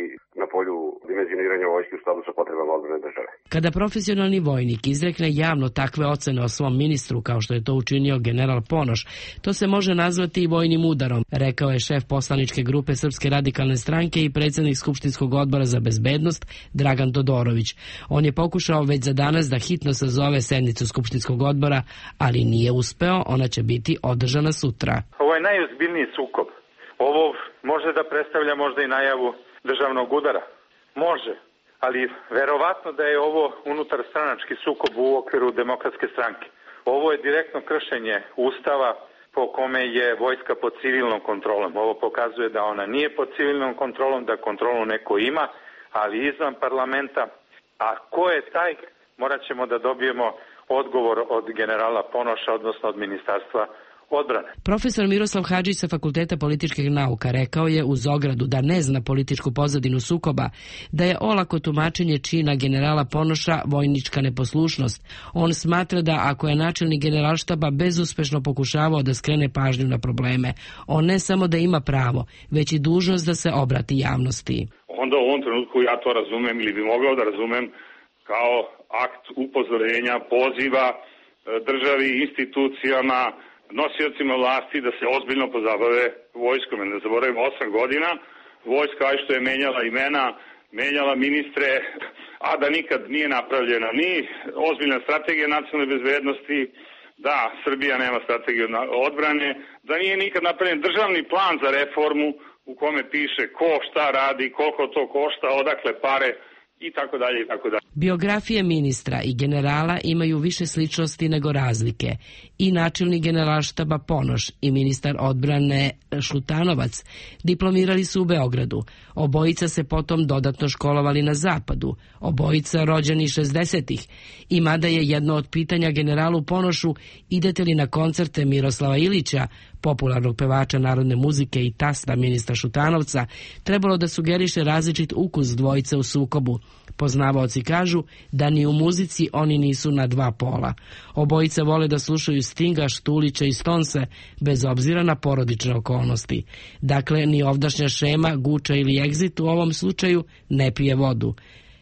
na polju dimenzioniranja vojske u skladu sa potrebama odbrane države. Kada profesionalni vojnik izrekne javno takve ocene o svom ministru, kao što je to učinio general Ponoš, to se može nazvati i vojnim udarom, rekao je šef poslaničke grupe Srpske radikalne stranke i predsjednik Skupštinskog odbora za bezbednost Dragan Todorović. On je pokušao već za danas da hitno sazove sednicu Skupštinskog odbora, ali nije uspeo, ona će biti održana sutra. Ovo je najozbiljniji sukob. Ovo može da predstavlja možda i najavu državnog udara. Može, ali verovatno da je ovo unutar stranački sukob u okviru Demokratske stranke. Ovo je direktno kršenje Ustava po kome je vojska pod civilnom kontrolom. Ovo pokazuje da ona nije pod civilnom kontrolom, da kontrolu neko ima, ali izvan parlamenta. A ko je taj, morat ćemo da dobijemo odgovor od generala Ponoša, odnosno od ministarstva odbrane. Profesor Miroslav Hadžić sa Fakulteta političkih nauka rekao je uz ogradu da ne zna političku pozadinu sukoba, da je olako tumačenje čina generala Ponoša vojnička neposlušnost. On smatra da ako je načelnik generalštaba bezuspešno pokušavao da skrene pažnju na probleme, on ne samo da ima pravo, već i dužnost da se obrati javnosti. Onda u ovom trenutku ja to razumem ili bi mogao da razumem kao akt upozorenja, poziva državi, institucijama, nosiocima vlasti da se ozbiljno pozabave vojskom. Ne zaboravimo, osam godina vojska što je menjala imena, menjala ministre, a da nikad nije napravljena ni ozbiljna strategija nacionalne bezbednosti, da Srbija nema strategiju odbrane, da nije nikad napravljen državni plan za reformu u kome piše ko šta radi, koliko to košta, odakle pare, i tako dalje i tako dalje. Biografije ministra i generala imaju više sličnosti nego razlike. I načelnik generalštaba Ponoš i ministar odbrane Šutanovac diplomirali su u Beogradu. Obojica se potom dodatno školovali na zapadu. Obojica rođeni šezdesetih. I mada je jedno od pitanja generalu Ponošu idete li na koncerte Miroslava Ilića, popularnog pevača narodne muzike i tasta ministra Šutanovca, trebalo da sugeriše različit ukus dvojice u sukobu. Poznavaoci kažu da ni u muzici oni nisu na dva pola. Obojica vole da slušaju Stinga, Štulića i Stonse, bez obzira na porodične okolnosti. Dakle, ni ovdašnja šema, Guča ili Exit u ovom slučaju ne pije vodu.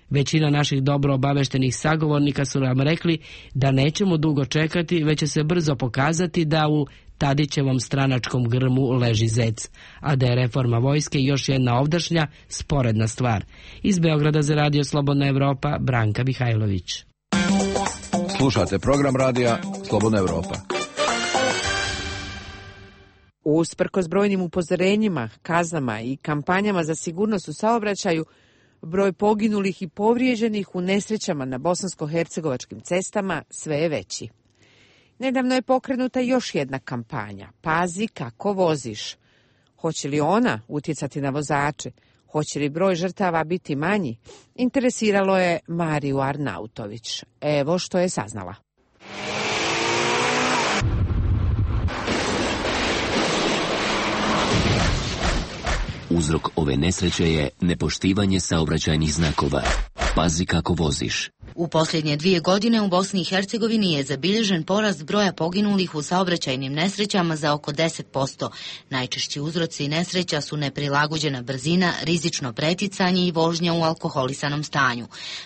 Većina naših dobro obaveštenih sagovornika su nam rekli da nećemo dugo čekati, već će se brzo pokazati da u Tadićevom stranačkom grmu leži zec, a da je reforma vojske još jedna ovdašnja, sporedna stvar. Iz Beograda za Radio Slobodna Evropa, Branka Mihajlović. Slušate program radija Slobodna Evropa. Usprkos brojnim upozorenjima, kaznama i kampanjama za sigurnost u saobraćaju, broj poginulih i povrijeđenih u nesrećama na bosansko-hercegovačkim cestama sve je veći. Nedavno je pokrenuta još jedna kampanja, Pazi kako voziš. Hoće li ona utjecati na vozače? Hoće li broj žrtava biti manji? Interesiralo je Mariju Arnautović. Evo što je saznala. Uzrok ove nesreće je nepoštivanje saobraćajnih znakova. Pazi kako voziš. U posljednje dvije godine u Bosni i Hercegovini je zabilježen porast broja poginulih u saobraćajnim nesrećama za oko deset posto. Najčešći uzroci nesreća su neprilagođena brzina, rizično preticanje i vožnja u alkoholisanom stanju.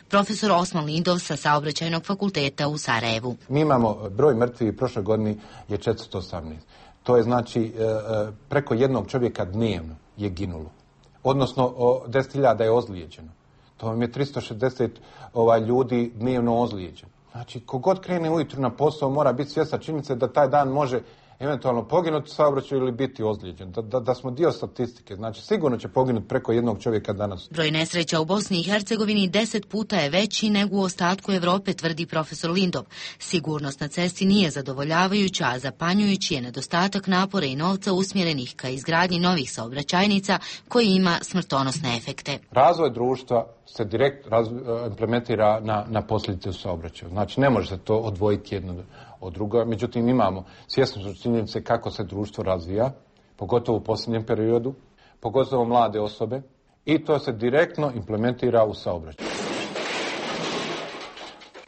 Profesor Osman Lindov sa Saobraćajnog fakulteta u Sarajevu. Mi imamo broj mrtvih u prošloj godini je četiristo osamnaest. To je znači preko jednog čovjeka dnevno je ginulo. Odnosno deset hiljada je ozlijeđeno. To vam je tristo šezdeset ovaj, ljudi dnevno ozlijeđeno. Znači, kogod krene ujutru na posao mora biti svjesna činjenica da taj dan može eventualno poginuti u saobraćaju ili biti ozlijeđen. Da, da, da smo dio statistike. Znači, sigurno će poginuti preko jednog čovjeka danas. Broj nesreća u Bosni i Hercegovini deset puta je veći nego u ostatku Evrope, tvrdi profesor Lindov. Sigurnost na cesti nije zadovoljavajuća, a zapanjujući je nedostatak napora i novca usmjerenih ka izgradnji novih saobraćajnica koji ima smrtonosne efekte. Razvoj društva se direkt raz, implementira na, na posljedice u saobraćaju. Znači, ne može se to odvojiti jedno od druga. Međutim, imamo svjesno su činjenice kako se društvo razvija, pogotovo u posljednjem periodu, pogotovo mlade osobe, i to se direktno implementira u saobraćaju.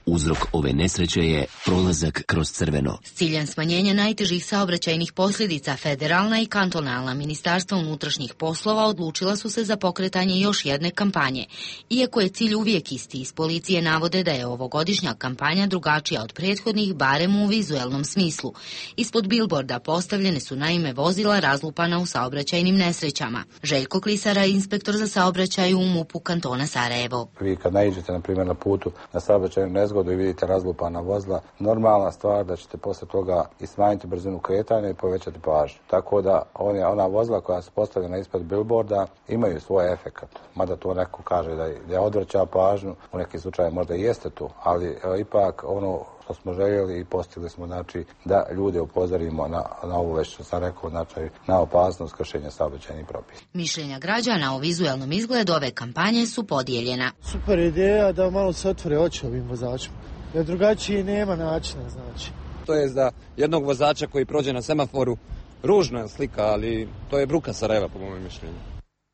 Uzrok ove nesreće je prolazak kroz crveno. S ciljem smanjenja najtežih saobraćajnih posljedica federalna i kantonalna ministarstva unutrašnjih poslova odlučila su se za pokretanje još jedne kampanje. Iako je cilj uvijek isti, iz policije navode da je ovogodišnja kampanja drugačija od prethodnih, barem u vizuelnom smislu. Ispod bilborda postavljene su naime vozila razlupana u saobraćajnim nesrećama. Željko Klisara, inspektor za saobraćaj u MUP-u kantona Sarajevo. Vi kad naiđete na primjer na putu na saobraćajnu nezgodu i vidite razlupana vozila, normalna stvar da ćete posle toga i smanjiti brzinu kretanja i povećati pažnju. Tako da one, ona vozila koja su postavljena ispod bilborda imaju svoj efekat. Mada to neko kaže da, da odvraća pažnju, u nekim slučajima možda i jeste tu, ali e, ipak ono što smo željeli i postigli smo, znači, da ljude upozorimo na, na ovo već što sam rekao, znači, na opasnost kršenja saobraćajnih propisa. Mišljenja građana o vizualnom izgledu ove kampanje su podijeljena. Super ideja da malo se otvore oči ovim vozačima, jer drugačije nema načina, znači. To je za jednog vozača koji prođe na semaforu ružna je slika, ali to je bruka Sarajeva po mojom mišljenju.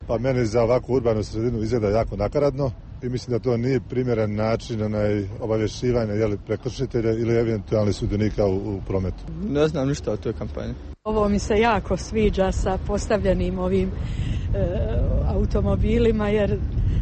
Pa meni za ovakvu urbanu sredinu izgleda jako nakaradno i mislim da to nije primjeren način onaj obavješćivanja jeli prekršitelja ili eventualnih sudionika u, u prometu. Ne znam ništa o toj kampanji. Ovo mi se jako sviđa sa postavljenim ovim e, automobilima jer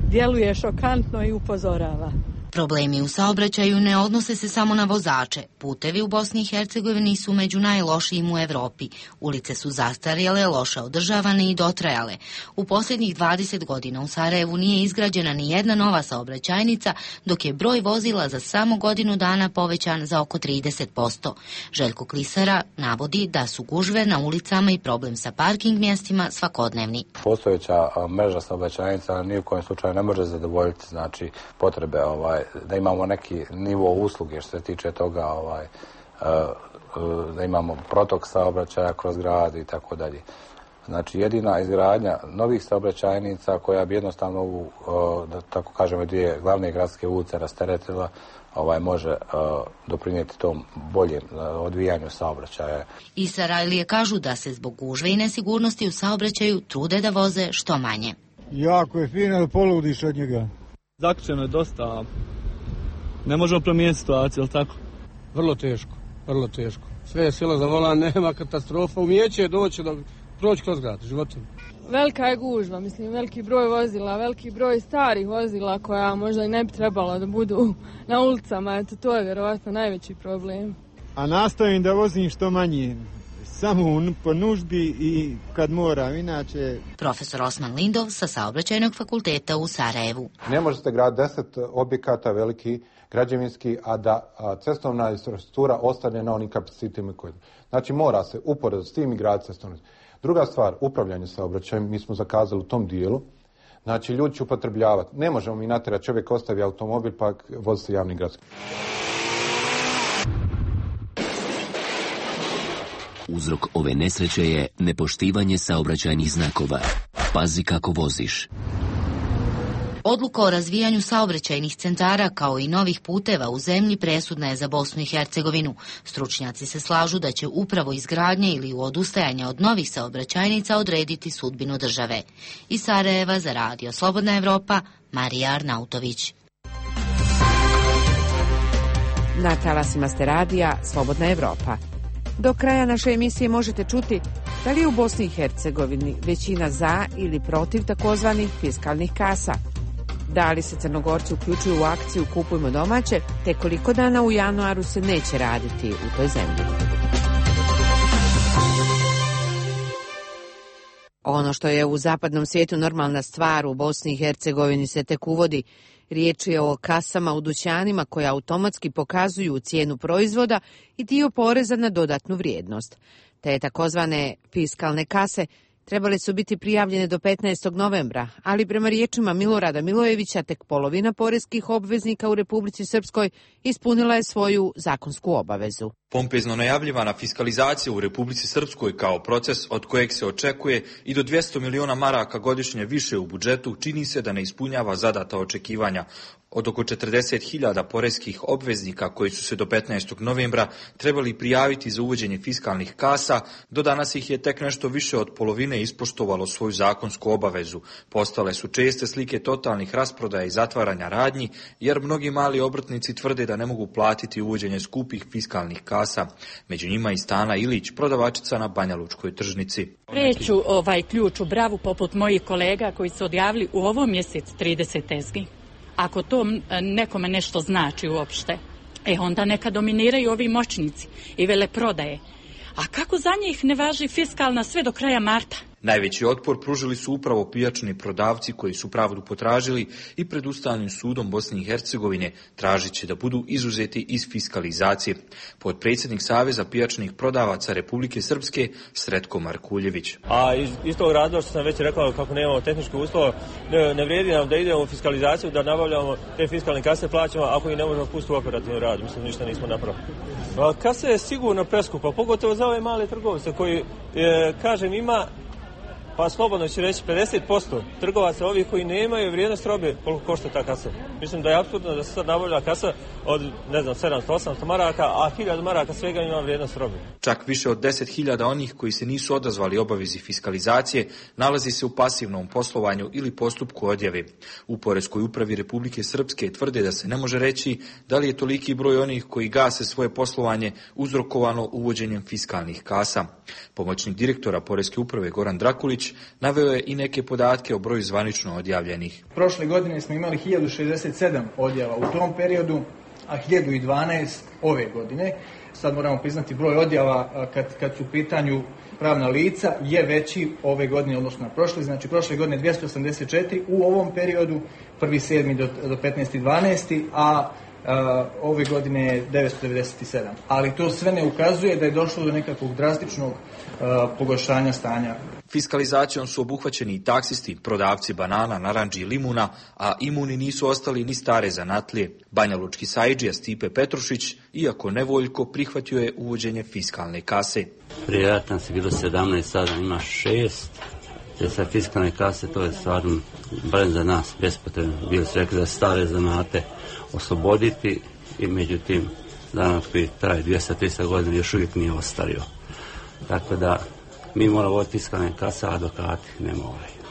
djeluje šokantno i upozorava. Problemi u saobraćaju ne odnose se samo na vozače. Putevi u Bosni i Hercegovini su među najlošijim u Evropi. Ulice su zastarjele, loše održavane i dotrajale. U posljednjih dvadeset godina u Sarajevu nije izgrađena ni jedna nova saobraćajnica, dok je broj vozila za samo godinu dana povećan za oko trideset posto. Željko Klisara navodi da su gužve na ulicama i problem sa parking mjestima svakodnevni. Postojeća mreža saobraćajnica ni u kojem slučaju ne može zadovoljiti, znači, potrebe ovaj da imamo neki nivo usluge što se tiče toga, ovaj, da imamo protok saobraćaja kroz grad i tako dalje. Znači jedina izgradnja novih saobraćajnica koja bi jednostavno ovu, da tako kažemo, dvije glavne gradske ulice rasteretila, ovaj, može doprinijeti tom boljem odvijanju saobraćaja. I Sarajlije kažu da se zbog gužve i nesigurnosti u saobraćaju trude da voze što manje. Jako je fino da poludiš od njega. Zaključeno je dosta, ne možemo promijeniti situaciju, ali tako? Vrlo teško, vrlo teško. Sve je sila za volan, nema katastrofa, umijeće je doći do proći kroz grad, životom. Velika je gužva, mislim, veliki broj vozila, veliki broj starih vozila koja možda i ne bi trebalo da budu na ulicama, eto to je vjerovatno najveći problem. A nastojim da vozim što manje, samo po nuždi i kad moram, inače... Profesor Osman Lindov sa Saobraćajnog fakulteta u Sarajevu. Ne možete graditi deset objekata veliki, građevinski, a da a cestovna infrastruktura ostane na onim kapacitetima koji... Znači mora se uporedo s tim i graditi cestovnu. Druga stvar, upravljanje saobraćajem, mi smo zakazali u tom dijelu. Znači ljudi će upotrebljavati. Ne možemo mi natjerati, čovjek ostavi automobil pa vozi se javni gradski. Uzrok ove nesreće je nepoštivanje saobraćajnih znakova. Pazi kako voziš. Odluka o razvijanju saobraćajnih centara kao i novih puteva u zemlji presudna je za Bosnu i Hercegovinu. Stručnjaci se slažu da će upravo izgradnje ili odustajanje od novih saobraćajnica odrediti sudbinu države. Iz Sarajeva za Radio Slobodna Evropa, Marija Arnautović. Na talasima ste radija Slobodna Evropa. Do kraja naše emisije možete čuti da li je u Bosni i Hercegovini većina za ili protiv takozvanih fiskalnih kasa. Da li se Crnogorci uključuju u akciju Kupujmo domaće, te koliko dana u januaru se neće raditi u toj zemlji. Ono što je u zapadnom svijetu normalna stvar, u Bosni i Hercegovini se tek uvodi. Riječ je o kasama u dućanima koje automatski pokazuju cijenu proizvoda i dio poreza na dodatnu vrijednost. Te takozvane fiskalne kase trebale su biti prijavljene do petnaestog novembra, ali prema riječima Milorada Milojevića tek polovina poreskih obveznika u Republici Srpskoj ispunila je svoju zakonsku obavezu. Pompezno najavljivana fiskalizacija u Republici Srpskoj kao proces od kojeg se očekuje i do dvjesto miliona maraka godišnje više u budžetu čini se da ne ispunjava zadata očekivanja. Od oko četrdeset hiljada poreskih obveznika koji su se do petnaestog novembra trebali prijaviti za uvođenje fiskalnih kasa, do danas ih je tek nešto više od polovine ispoštovalo svoju zakonsku obavezu. Postale su česte slike totalnih rasprodaja i zatvaranja radnji, jer mnogi mali obrtnici tvrde da ne mogu platiti uvođenje skupih fiskalnih kasa. Među njima i Stana Ilić, prodavačica na Banjalučkoj tržnici. Preću ovaj ključ u bravu poput mojih kolega koji su odjavili u ovom mjesecu trideset tezgi. Ako to nekome nešto znači uopšte, e onda neka dominiraju ovi moćnici i veleprodaje. A kako za njih ne važi fiskalna sve do kraja marta? Najveći otpor pružili su upravo pijačni prodavci koji su pravdu potražili i pred Ustavnim sudom Bosne i Hercegovine tražit će da budu izuzeti iz fiskalizacije. Potpredsjednik Saveza pijačnih prodavaca Republike Srpske Sretko Markuljević. A iz, iz tog razloga što sam već rekao kako nemamo tehničke uslova, ne, ne vrijedi nam da idemo u fiskalizaciju, da nabavljamo te fiskalne kase, plaćamo ako i ne možemo pustiti u operativni rad. Mislim, ništa nismo napravili. Kasa je sigurno preskupa, pogotovo za ove male trgovce koji, e, kažem, ima pa slobodno ću reći pedeset posto trgovaca ovih koji nemaju vrijednost robe koliko košta ta kasa. Mislim da je apsurdno da se sad nabavlja kasa od, ne znam, sedamsto osamsto maraka, a hiljadu maraka svega ima vrijednost robe. Čak više od deset hiljada onih koji se nisu odazvali obavezi fiskalizacije nalazi se u pasivnom poslovanju ili postupku odjave. U Poreskoj upravi Republike Srpske tvrde da se ne može reći da li je toliki broj onih koji gase svoje poslovanje uzrokovano uvođenjem fiskalnih kasa. Pomoćnik direktora Poreske uprave Goran Drakulić naveo je i neke podatke o broju zvanično odjavljenih. Prošle godine smo imali hiljadu šezdeset sedam odjava u tom periodu, a hiljadu dvanaest ove godine. Sad moramo priznati broj odjava kad, kad su u pitanju pravna lica je veći ove godine odnosno na prošle. Znači prošle godine dvjesto osamdeset četiri, u ovom periodu prvi sedmi do, do petnaesti dvanaesti, a Uh, ove godine je devetsto devedeset sedam. Ali to sve ne ukazuje da je došlo do nekakvog drastičnog uh, pogoršanja stanja. Fiskalizacijom su obuhvaćeni i taksisti, prodavci banana, narandži i limuna, a imuni nisu ostali ni stare zanatlije. Banjalučki sajdžija Stipe Petrušić, iako nevoljko, prihvatio je uvođenje fiskalne kase. Prije rata se bilo sedamnaest, sada ima šest. Te sa fiskalne kase to je stvarno, barem za nas, bespotrebno. Bili su rekli da stare zanate osloboditi i međutim danas koji traje dvjesto do tristo godina još uvijek nije ostario. Tako da mi moramo voditi fiskalne kase, a advokati ne moraju.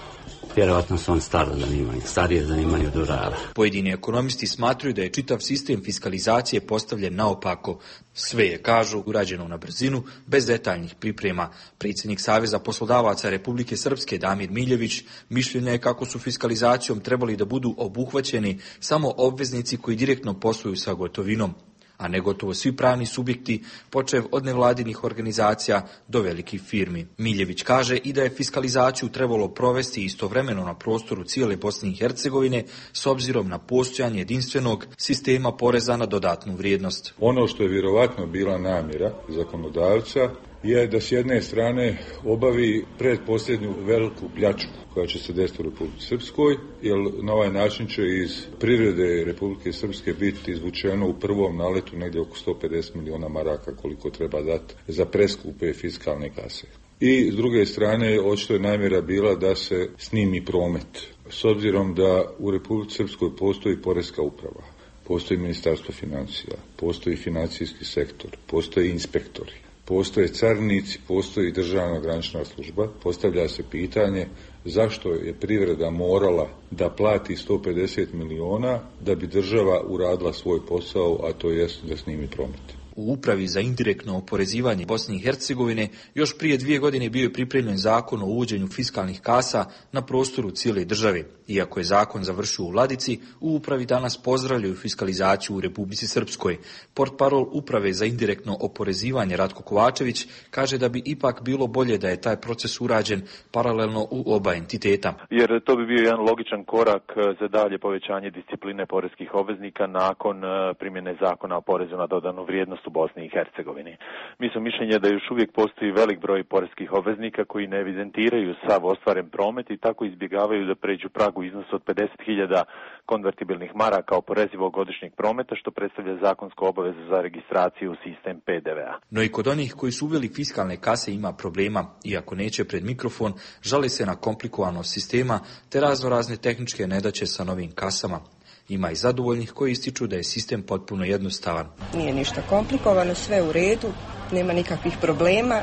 Vjerovatno su on staro zanimanje, starije zanimanje od urara. Pojedini ekonomisti smatruju da je čitav sistem fiskalizacije postavljen naopako. Sve je, kažu, urađeno na brzinu, bez detaljnih priprema. Predsjednik Saveza poslodavaca Republike Srpske Damir Miljević mišljenja je kako su fiskalizacijom trebali da budu obuhvaćeni samo obveznici koji direktno posluju sa gotovinom, a ne gotovo svi pravni subjekti, počev od nevladinih organizacija do velikih firmi. Miljević kaže i da je fiskalizaciju trebalo provesti istovremeno na prostoru cijele Bosne i Hercegovine s obzirom na postojanje jedinstvenog sistema poreza na dodatnu vrijednost. Ono što je vjerovatno bila namjera zakonodavca je da s jedne strane obavi predposljednju veliku pljačku koja će se desiti u Republike Srpskoj, jer na ovaj način će iz privrede Republike Srpske biti izvučeno u prvom naletu negdje oko sto pedeset miliona maraka koliko treba dati za preskupe fiskalne kase. I s druge strane, očito je namjera bila da se snimi promet. S obzirom da u Republike Srpskoj postoji poreska uprava, postoji ministarstvo financija, postoji financijski sektor, postoji inspektori, postoje carinici, postoji državna granična služba, postavlja se pitanje zašto je privreda morala da plati sto pedeset miliona da bi država uradila svoj posao, a to jest da snimi promet. U Upravi za indirektno oporezivanje Bosne i Hercegovine još prije dvije godine bio je pripremljen zakon o uvođenju fiskalnih kasa na prostoru cijele države. Iako je zakon završio u Vladici, u Upravi danas pozdravljaju fiskalizaciju u Republici Srpskoj. Portparol Uprave za indirektno oporezivanje Ratko Kovačević kaže da bi ipak bilo bolje da je taj proces urađen paralelno u oba entiteta. Jer to bi bio jedan logičan korak za dalje povećanje discipline poreskih obveznika nakon primjene zakona o porezu na dodanu vrijednost. stabilnost u Bosni i Hercegovini. Mi smo mišljenja da još uvijek postoji velik broj poreskih obveznika koji ne evidentiraju sav ostvaren promet i tako izbjegavaju da pređu pragu iznosu od pedeset hiljada konvertibilnih maraka oporezivog godišnjeg prometa, što predstavlja zakonsku obavezu za registraciju u sistem P D V-a. No i kod onih koji su uveli fiskalne kase ima problema, iako neće pred mikrofon, žale se na komplikovanost sistema te razno razne tehničke nedaće sa novim kasama. Ima i zadovoljnih koji ističu da je sistem potpuno jednostavan. Nije ništa komplikovano, sve u redu, nema nikakvih problema.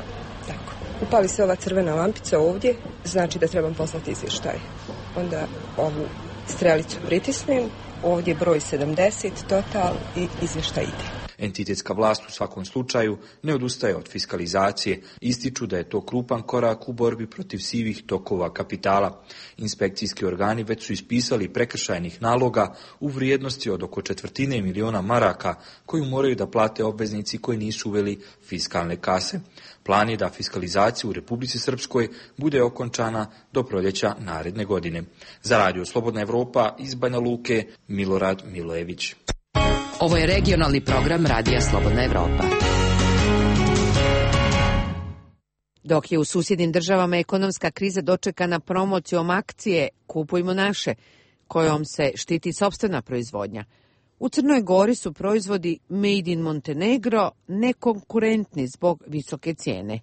Tako. Upali se ova crvena lampica ovdje, znači da trebam poslati izvještaj. Onda ovu strelicu pritisnem, ovdje broj sedamdeset, total i izvještaj ide. Entitetska vlast u svakom slučaju ne odustaje od fiskalizacije, ističu da je to krupan korak u borbi protiv sivih tokova kapitala. Inspekcijski organi već su ispisali prekršajnih naloga u vrijednosti od oko četvrtine miliona maraka koju moraju da plate obveznici koji nisu uveli fiskalne kase. Plan je da fiskalizacija u Republici Srpskoj bude okončana do proljeća naredne godine. Za Radio Slobodna Evropa iz Banja Luke, Milorad Milojević. Ovo je regionalni program Radija Slobodna Evropa. Dok je u susjednim državama ekonomska kriza dočekana promocijom akcije Kupujmo naše, kojom se štiti sopstvena proizvodnja, u Crnoj Gori su proizvodi Made in Montenegro nekonkurentni zbog visoke cijene.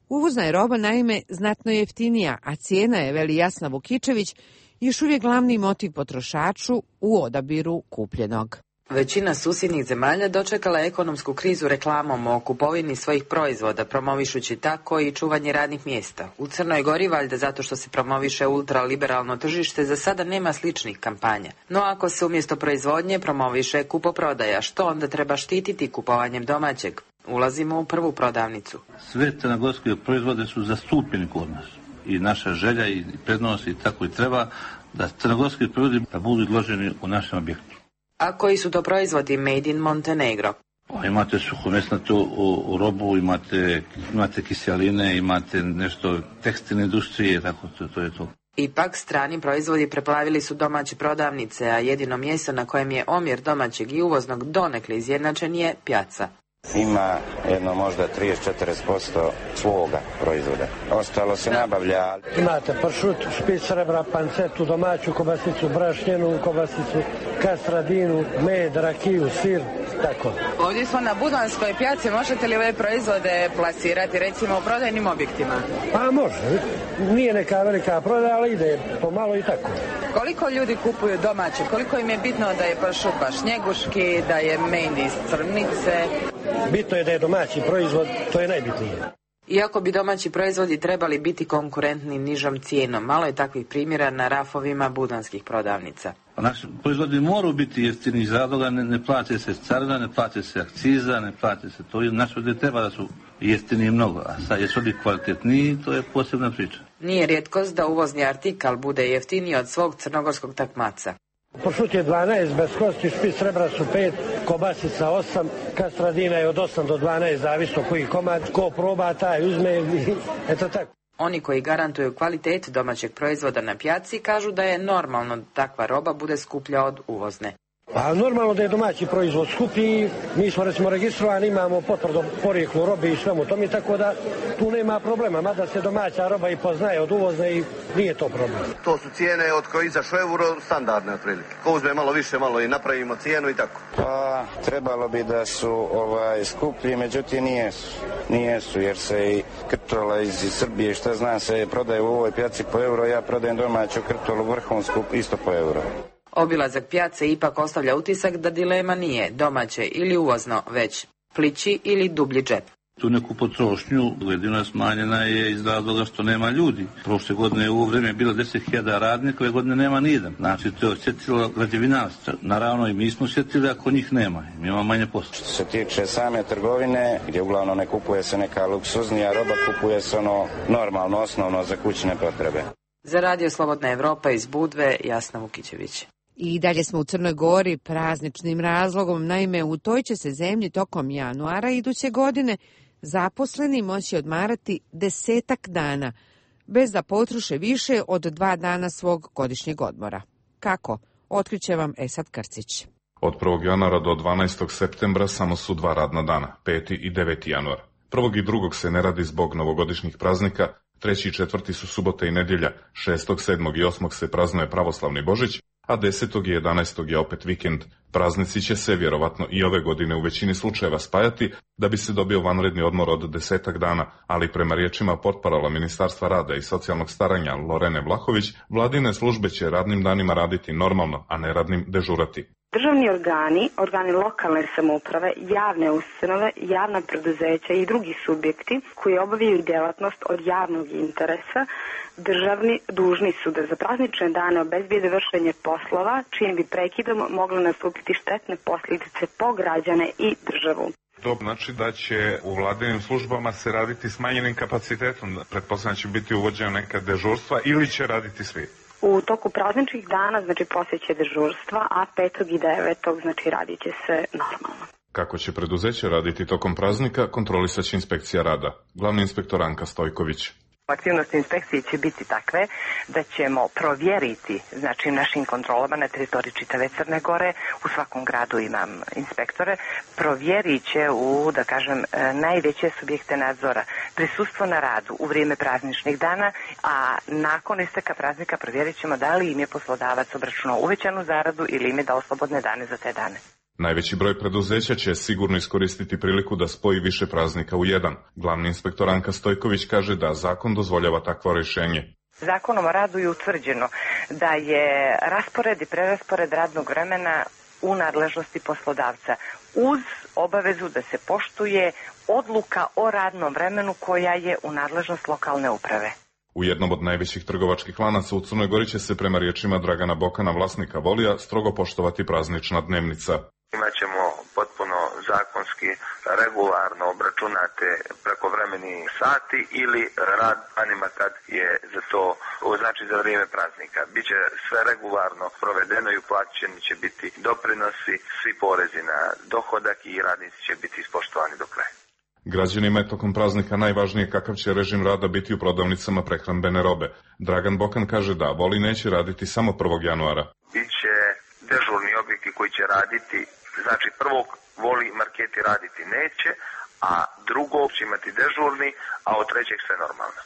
Uvozna je roba naime znatno jeftinija, a cijena je, veli Jasna Vukičević, još uvijek glavni motiv potrošaču u odabiru kupljenog. Većina susjednih zemalja dočekala ekonomsku krizu reklamom o kupovini svojih proizvoda, promovišući tako i čuvanje radnih mjesta. U Crnoj Gori, valjda zato što se promoviše ultraliberalno tržište, za sada nema sličnih kampanja. No ako se umjesto proizvodnje promoviše kupoprodaja, što onda treba štititi kupovanjem domaćeg? Ulazimo u prvu prodavnicu. Sve crnogorske proizvode su zastupljeni kod nas. I naša želja i prednost i tako i treba da crnogorski proizvodi budu izloženi u našem objektu. A koji su to proizvodi Made in Montenegro? O, imate suhomesnatu u, u robu, imate, imate kiseline, imate nešto tekstilne industrije, tako to, to je to. Ipak strani proizvodi preplavili su domaće prodavnice, a jedino mjesto na kojem je omjer domaćeg i uvoznog donekle izjednačen je Pjaca. Ima jedno možda trideset do četrdeset posto svoga proizvoda. Ostalo se nabavlja. Imate pršut, špic srebra, pancetu, domaću kobasicu, brašnjenu kobasicu, kastradinu, med, rakiju, sir, tako. Ovdje smo na Budanskoj pjaci, možete li ove proizvode plasirati recimo u prodajnim objektima? Pa može, nije neka velika prodaja, ali ide pomalo i tako. Koliko ljudi kupuju domaće, koliko im je bitno da je pršut baš njeguški, da je med iz Crnice? Bitno je da je domaći proizvod, to je najbitnije. Iako bi domaći proizvodi trebali biti konkurentni nižom cijenom, malo je takvih primjera na rafovima budanskih prodavnica. Naši proizvodi moraju biti jeftini iz razloga, ne, ne plate se carina, ne plate se akciza, ne plate se to. Naši proizvodi treba da su jeftini mnogo, a sad jesu li kvalitetniji, to je posebna priča. Nije rijetkost da uvozni artikal bude jeftiniji od svog crnogorskog takmaca. Pršut je dvanaest, bez kosti, špic srebra su pet, kobasica osam, kastradina je od osam do dvanaest, zavisno koji komad, ko proba taj uzme i eto tako. Oni koji garantuju kvalitet domaćeg proizvoda na pjaci kažu da je normalno da takva roba bude skuplja od uvozne. A normalno da je domaći proizvod skuplji, mi smo recimo registrovani, imamo potvrdu porijeklu robe i svemu tome, tako da tu nema problema, mada se domaća roba i poznaje od uvozne i nije to problem. To su cijene od koje izašao euro standardne otprilike. Ko uzme malo više, malo i napravimo cijenu i tako. Pa trebalo bi da su ovaj skuplji, međutim nijesu. Nijesu jer se i krtola iz Srbije, šta znam, se prodaje u ovoj pjaci po euro, ja prodajem domaću krtolu vrhunsku isto po euro. Obilazak pjace ipak ostavlja utisak da dilema nije domaće ili uvozno, već plići ili dublji džep. Tu neku potrošnju jedino smanjena je iz razloga što nema ljudi. Prošle godine u ovo vrijeme je bilo deset hiljada radnika, ove godine nema nijedan. Znači to je osjetilo građevinarstvo. Naravno i mi smo osjetili ako njih nema. Mi imamo manje posla. Što se tiče same trgovine, gdje uglavnom ne kupuje se neka luksuznija roba, kupuje se ono normalno, osnovno za kućne potrebe. Za Radio Slobodna Evropa iz Budve, Jasna Vukičević. I dalje smo u Crnoj Gori prazničnim razlogom, naime u toj će se zemlji tokom januara iduće godine zaposleni moći odmarati desetak dana, bez da potroše više od dva dana svog godišnjeg odmora. Kako? Otkriće vam Esad Krcić. Od prvog januara do dvanaestog septembra samo su dva radna dana, peti i deveti januar. Prvog i drugog se ne radi zbog novogodišnjih praznika, treći i četvrti su subote i nedjelja, šestog, sedmog i osmog se praznuje pravoslavni Božić, a desetog i jedanaestog je opet vikend. Praznici će se vjerovatno i ove godine u većini slučajeva spajati da bi se dobio vanredni odmor od desetak dana, ali prema riječima portparala Ministarstva rada i socijalnog staranja Lorene Vlahović, vladine službe će radnim danima raditi normalno, a ne radnim dežurati. Državni organi, organi lokalne samouprave, javne ustanove, javna preduzeća i drugi subjekti koji obavljaju djelatnost od javnog interesa, državni dužni su da za praznične dane obezbijede vršenje poslova, čijim bi prekidom mogle nastupiti štetne posljedice po građane i državu. To znači da će u vladinim službama se raditi smanjenim kapacitetom, pretpostavljam će biti uvođena neka dežurstva ili će raditi svi? U toku prazničnih dana, znači poslije će dežurstva, a petog i devetog znači radit će se normalno. Kako će preduzeće raditi tokom praznika, kontrolisat će inspekcija rada. Glavni inspektor Anka Stojković. Aktivnosti inspekcije će biti takve da ćemo provjeriti, znači našim kontrolama na teritoriji čitave Crne Gore, u svakom gradu imam inspektore, provjerit će u, da kažem, najveće subjekte nadzora prisustvo na radu u vrijeme prazničnih dana, a nakon isteka praznika provjerit ćemo da li im je poslodavac obračunao uvećanu zaradu ili im je dao slobodne dane za te dane. Najveći broj preduzeća će sigurno iskoristiti priliku da spoji više praznika u jedan. Glavni inspektor Anka Stojković kaže da zakon dozvoljava takvo rješenje. Zakonom o radu je utvrđeno da je raspored i preraspored radnog vremena u nadležnosti poslodavca uz obavezu da se poštuje odluka o radnom vremenu koja je u nadležnost lokalne uprave. U jednom od najvećih trgovačkih lanaca u Crnoj Gori će se prema riječima Dragana Bokana, vlasnika Volija, strogo poštovati praznična dnevnica. Imaćemo potpuno zakonski, regularno obračunate prekovremeni sati ili rad anima kad je za to, znači za vrijeme praznika. Biće sve regularno provedeno i uplaćeni će biti doprinosi, svi porezi na dohodak i radnici će biti ispoštovani do kraja. Građanima je tokom praznika najvažnije kakav će režim rada biti u prodavnicama prehrambene robe. Dragan Bokan kaže da Voli neće raditi samo prvog januara. Biće dežurni objekti koji će raditi, znači prvog Voli marketi raditi neće, a drugog će imati dežurni, a od trećeg sve normalno.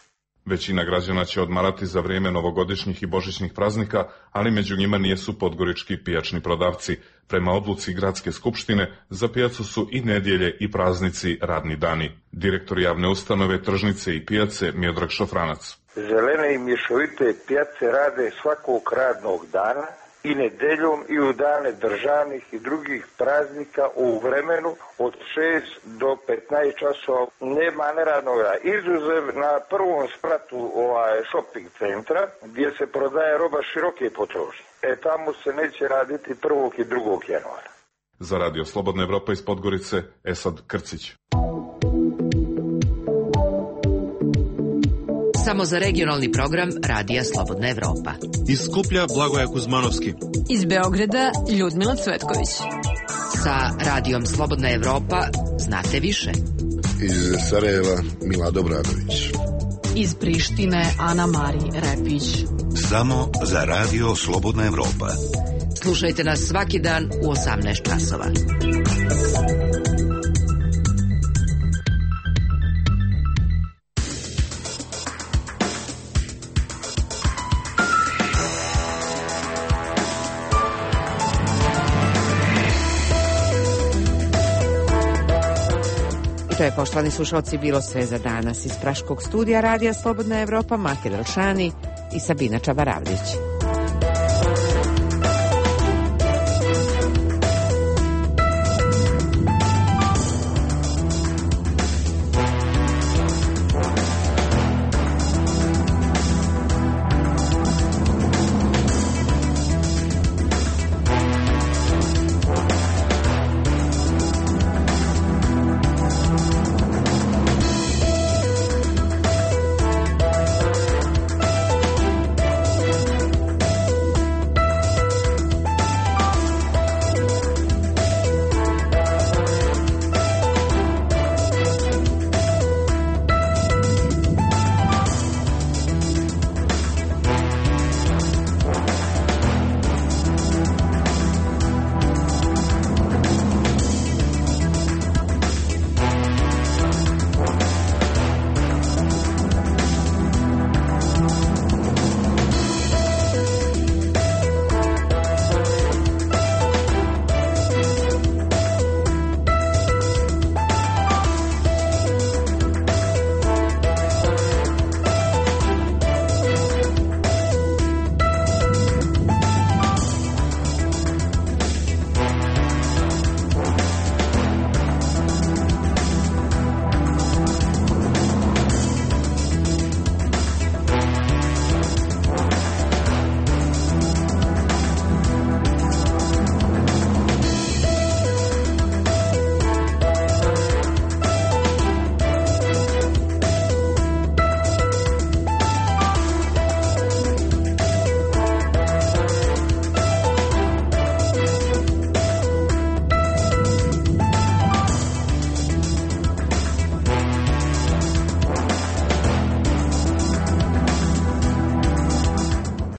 Većina građana će odmarati za vrijeme novogodišnjih i božićnih praznika, ali među njima nijesu podgorički pijačni prodavci. Prema odluci gradske skupštine, za pijacu su i nedjelje i praznici radni dani. Direktor javne ustanove, tržnice i pijace Miodrag Šofranac. Zelene i mješovite pijace rade svakog radnog dana i nedeljom i u dane državnih i drugih praznika u vremenu od šest do petnaest časova. Nema neradnog rada. Izuzev na prvom spratu ovaj shopping centra gdje se prodaje roba široke potrošnje. E tamo se neće raditi prvog i drugog januara. Za Radio Slobodna Evropa iz Podgorice, Esad Krcić. Samo za regionalni program Radija Slobodna Evropa. Iz Skuplja Blagoja Kuzmanovski. Iz Beograda Ljudmila Cvetković. Sa Radijom Slobodna Evropa znate više. Iz Sarajeva Mila Dobradović. Iz Prištine Ana Mari Repić. Samo za Radio Slobodna Evropa. Slušajte nas svaki dan u osamnaest časova. To je, poštovani slušalci, bilo sve za danas iz Praškog studija Radija Slobodna Evropa, Mate Velšani i Sabina Čabaravljić.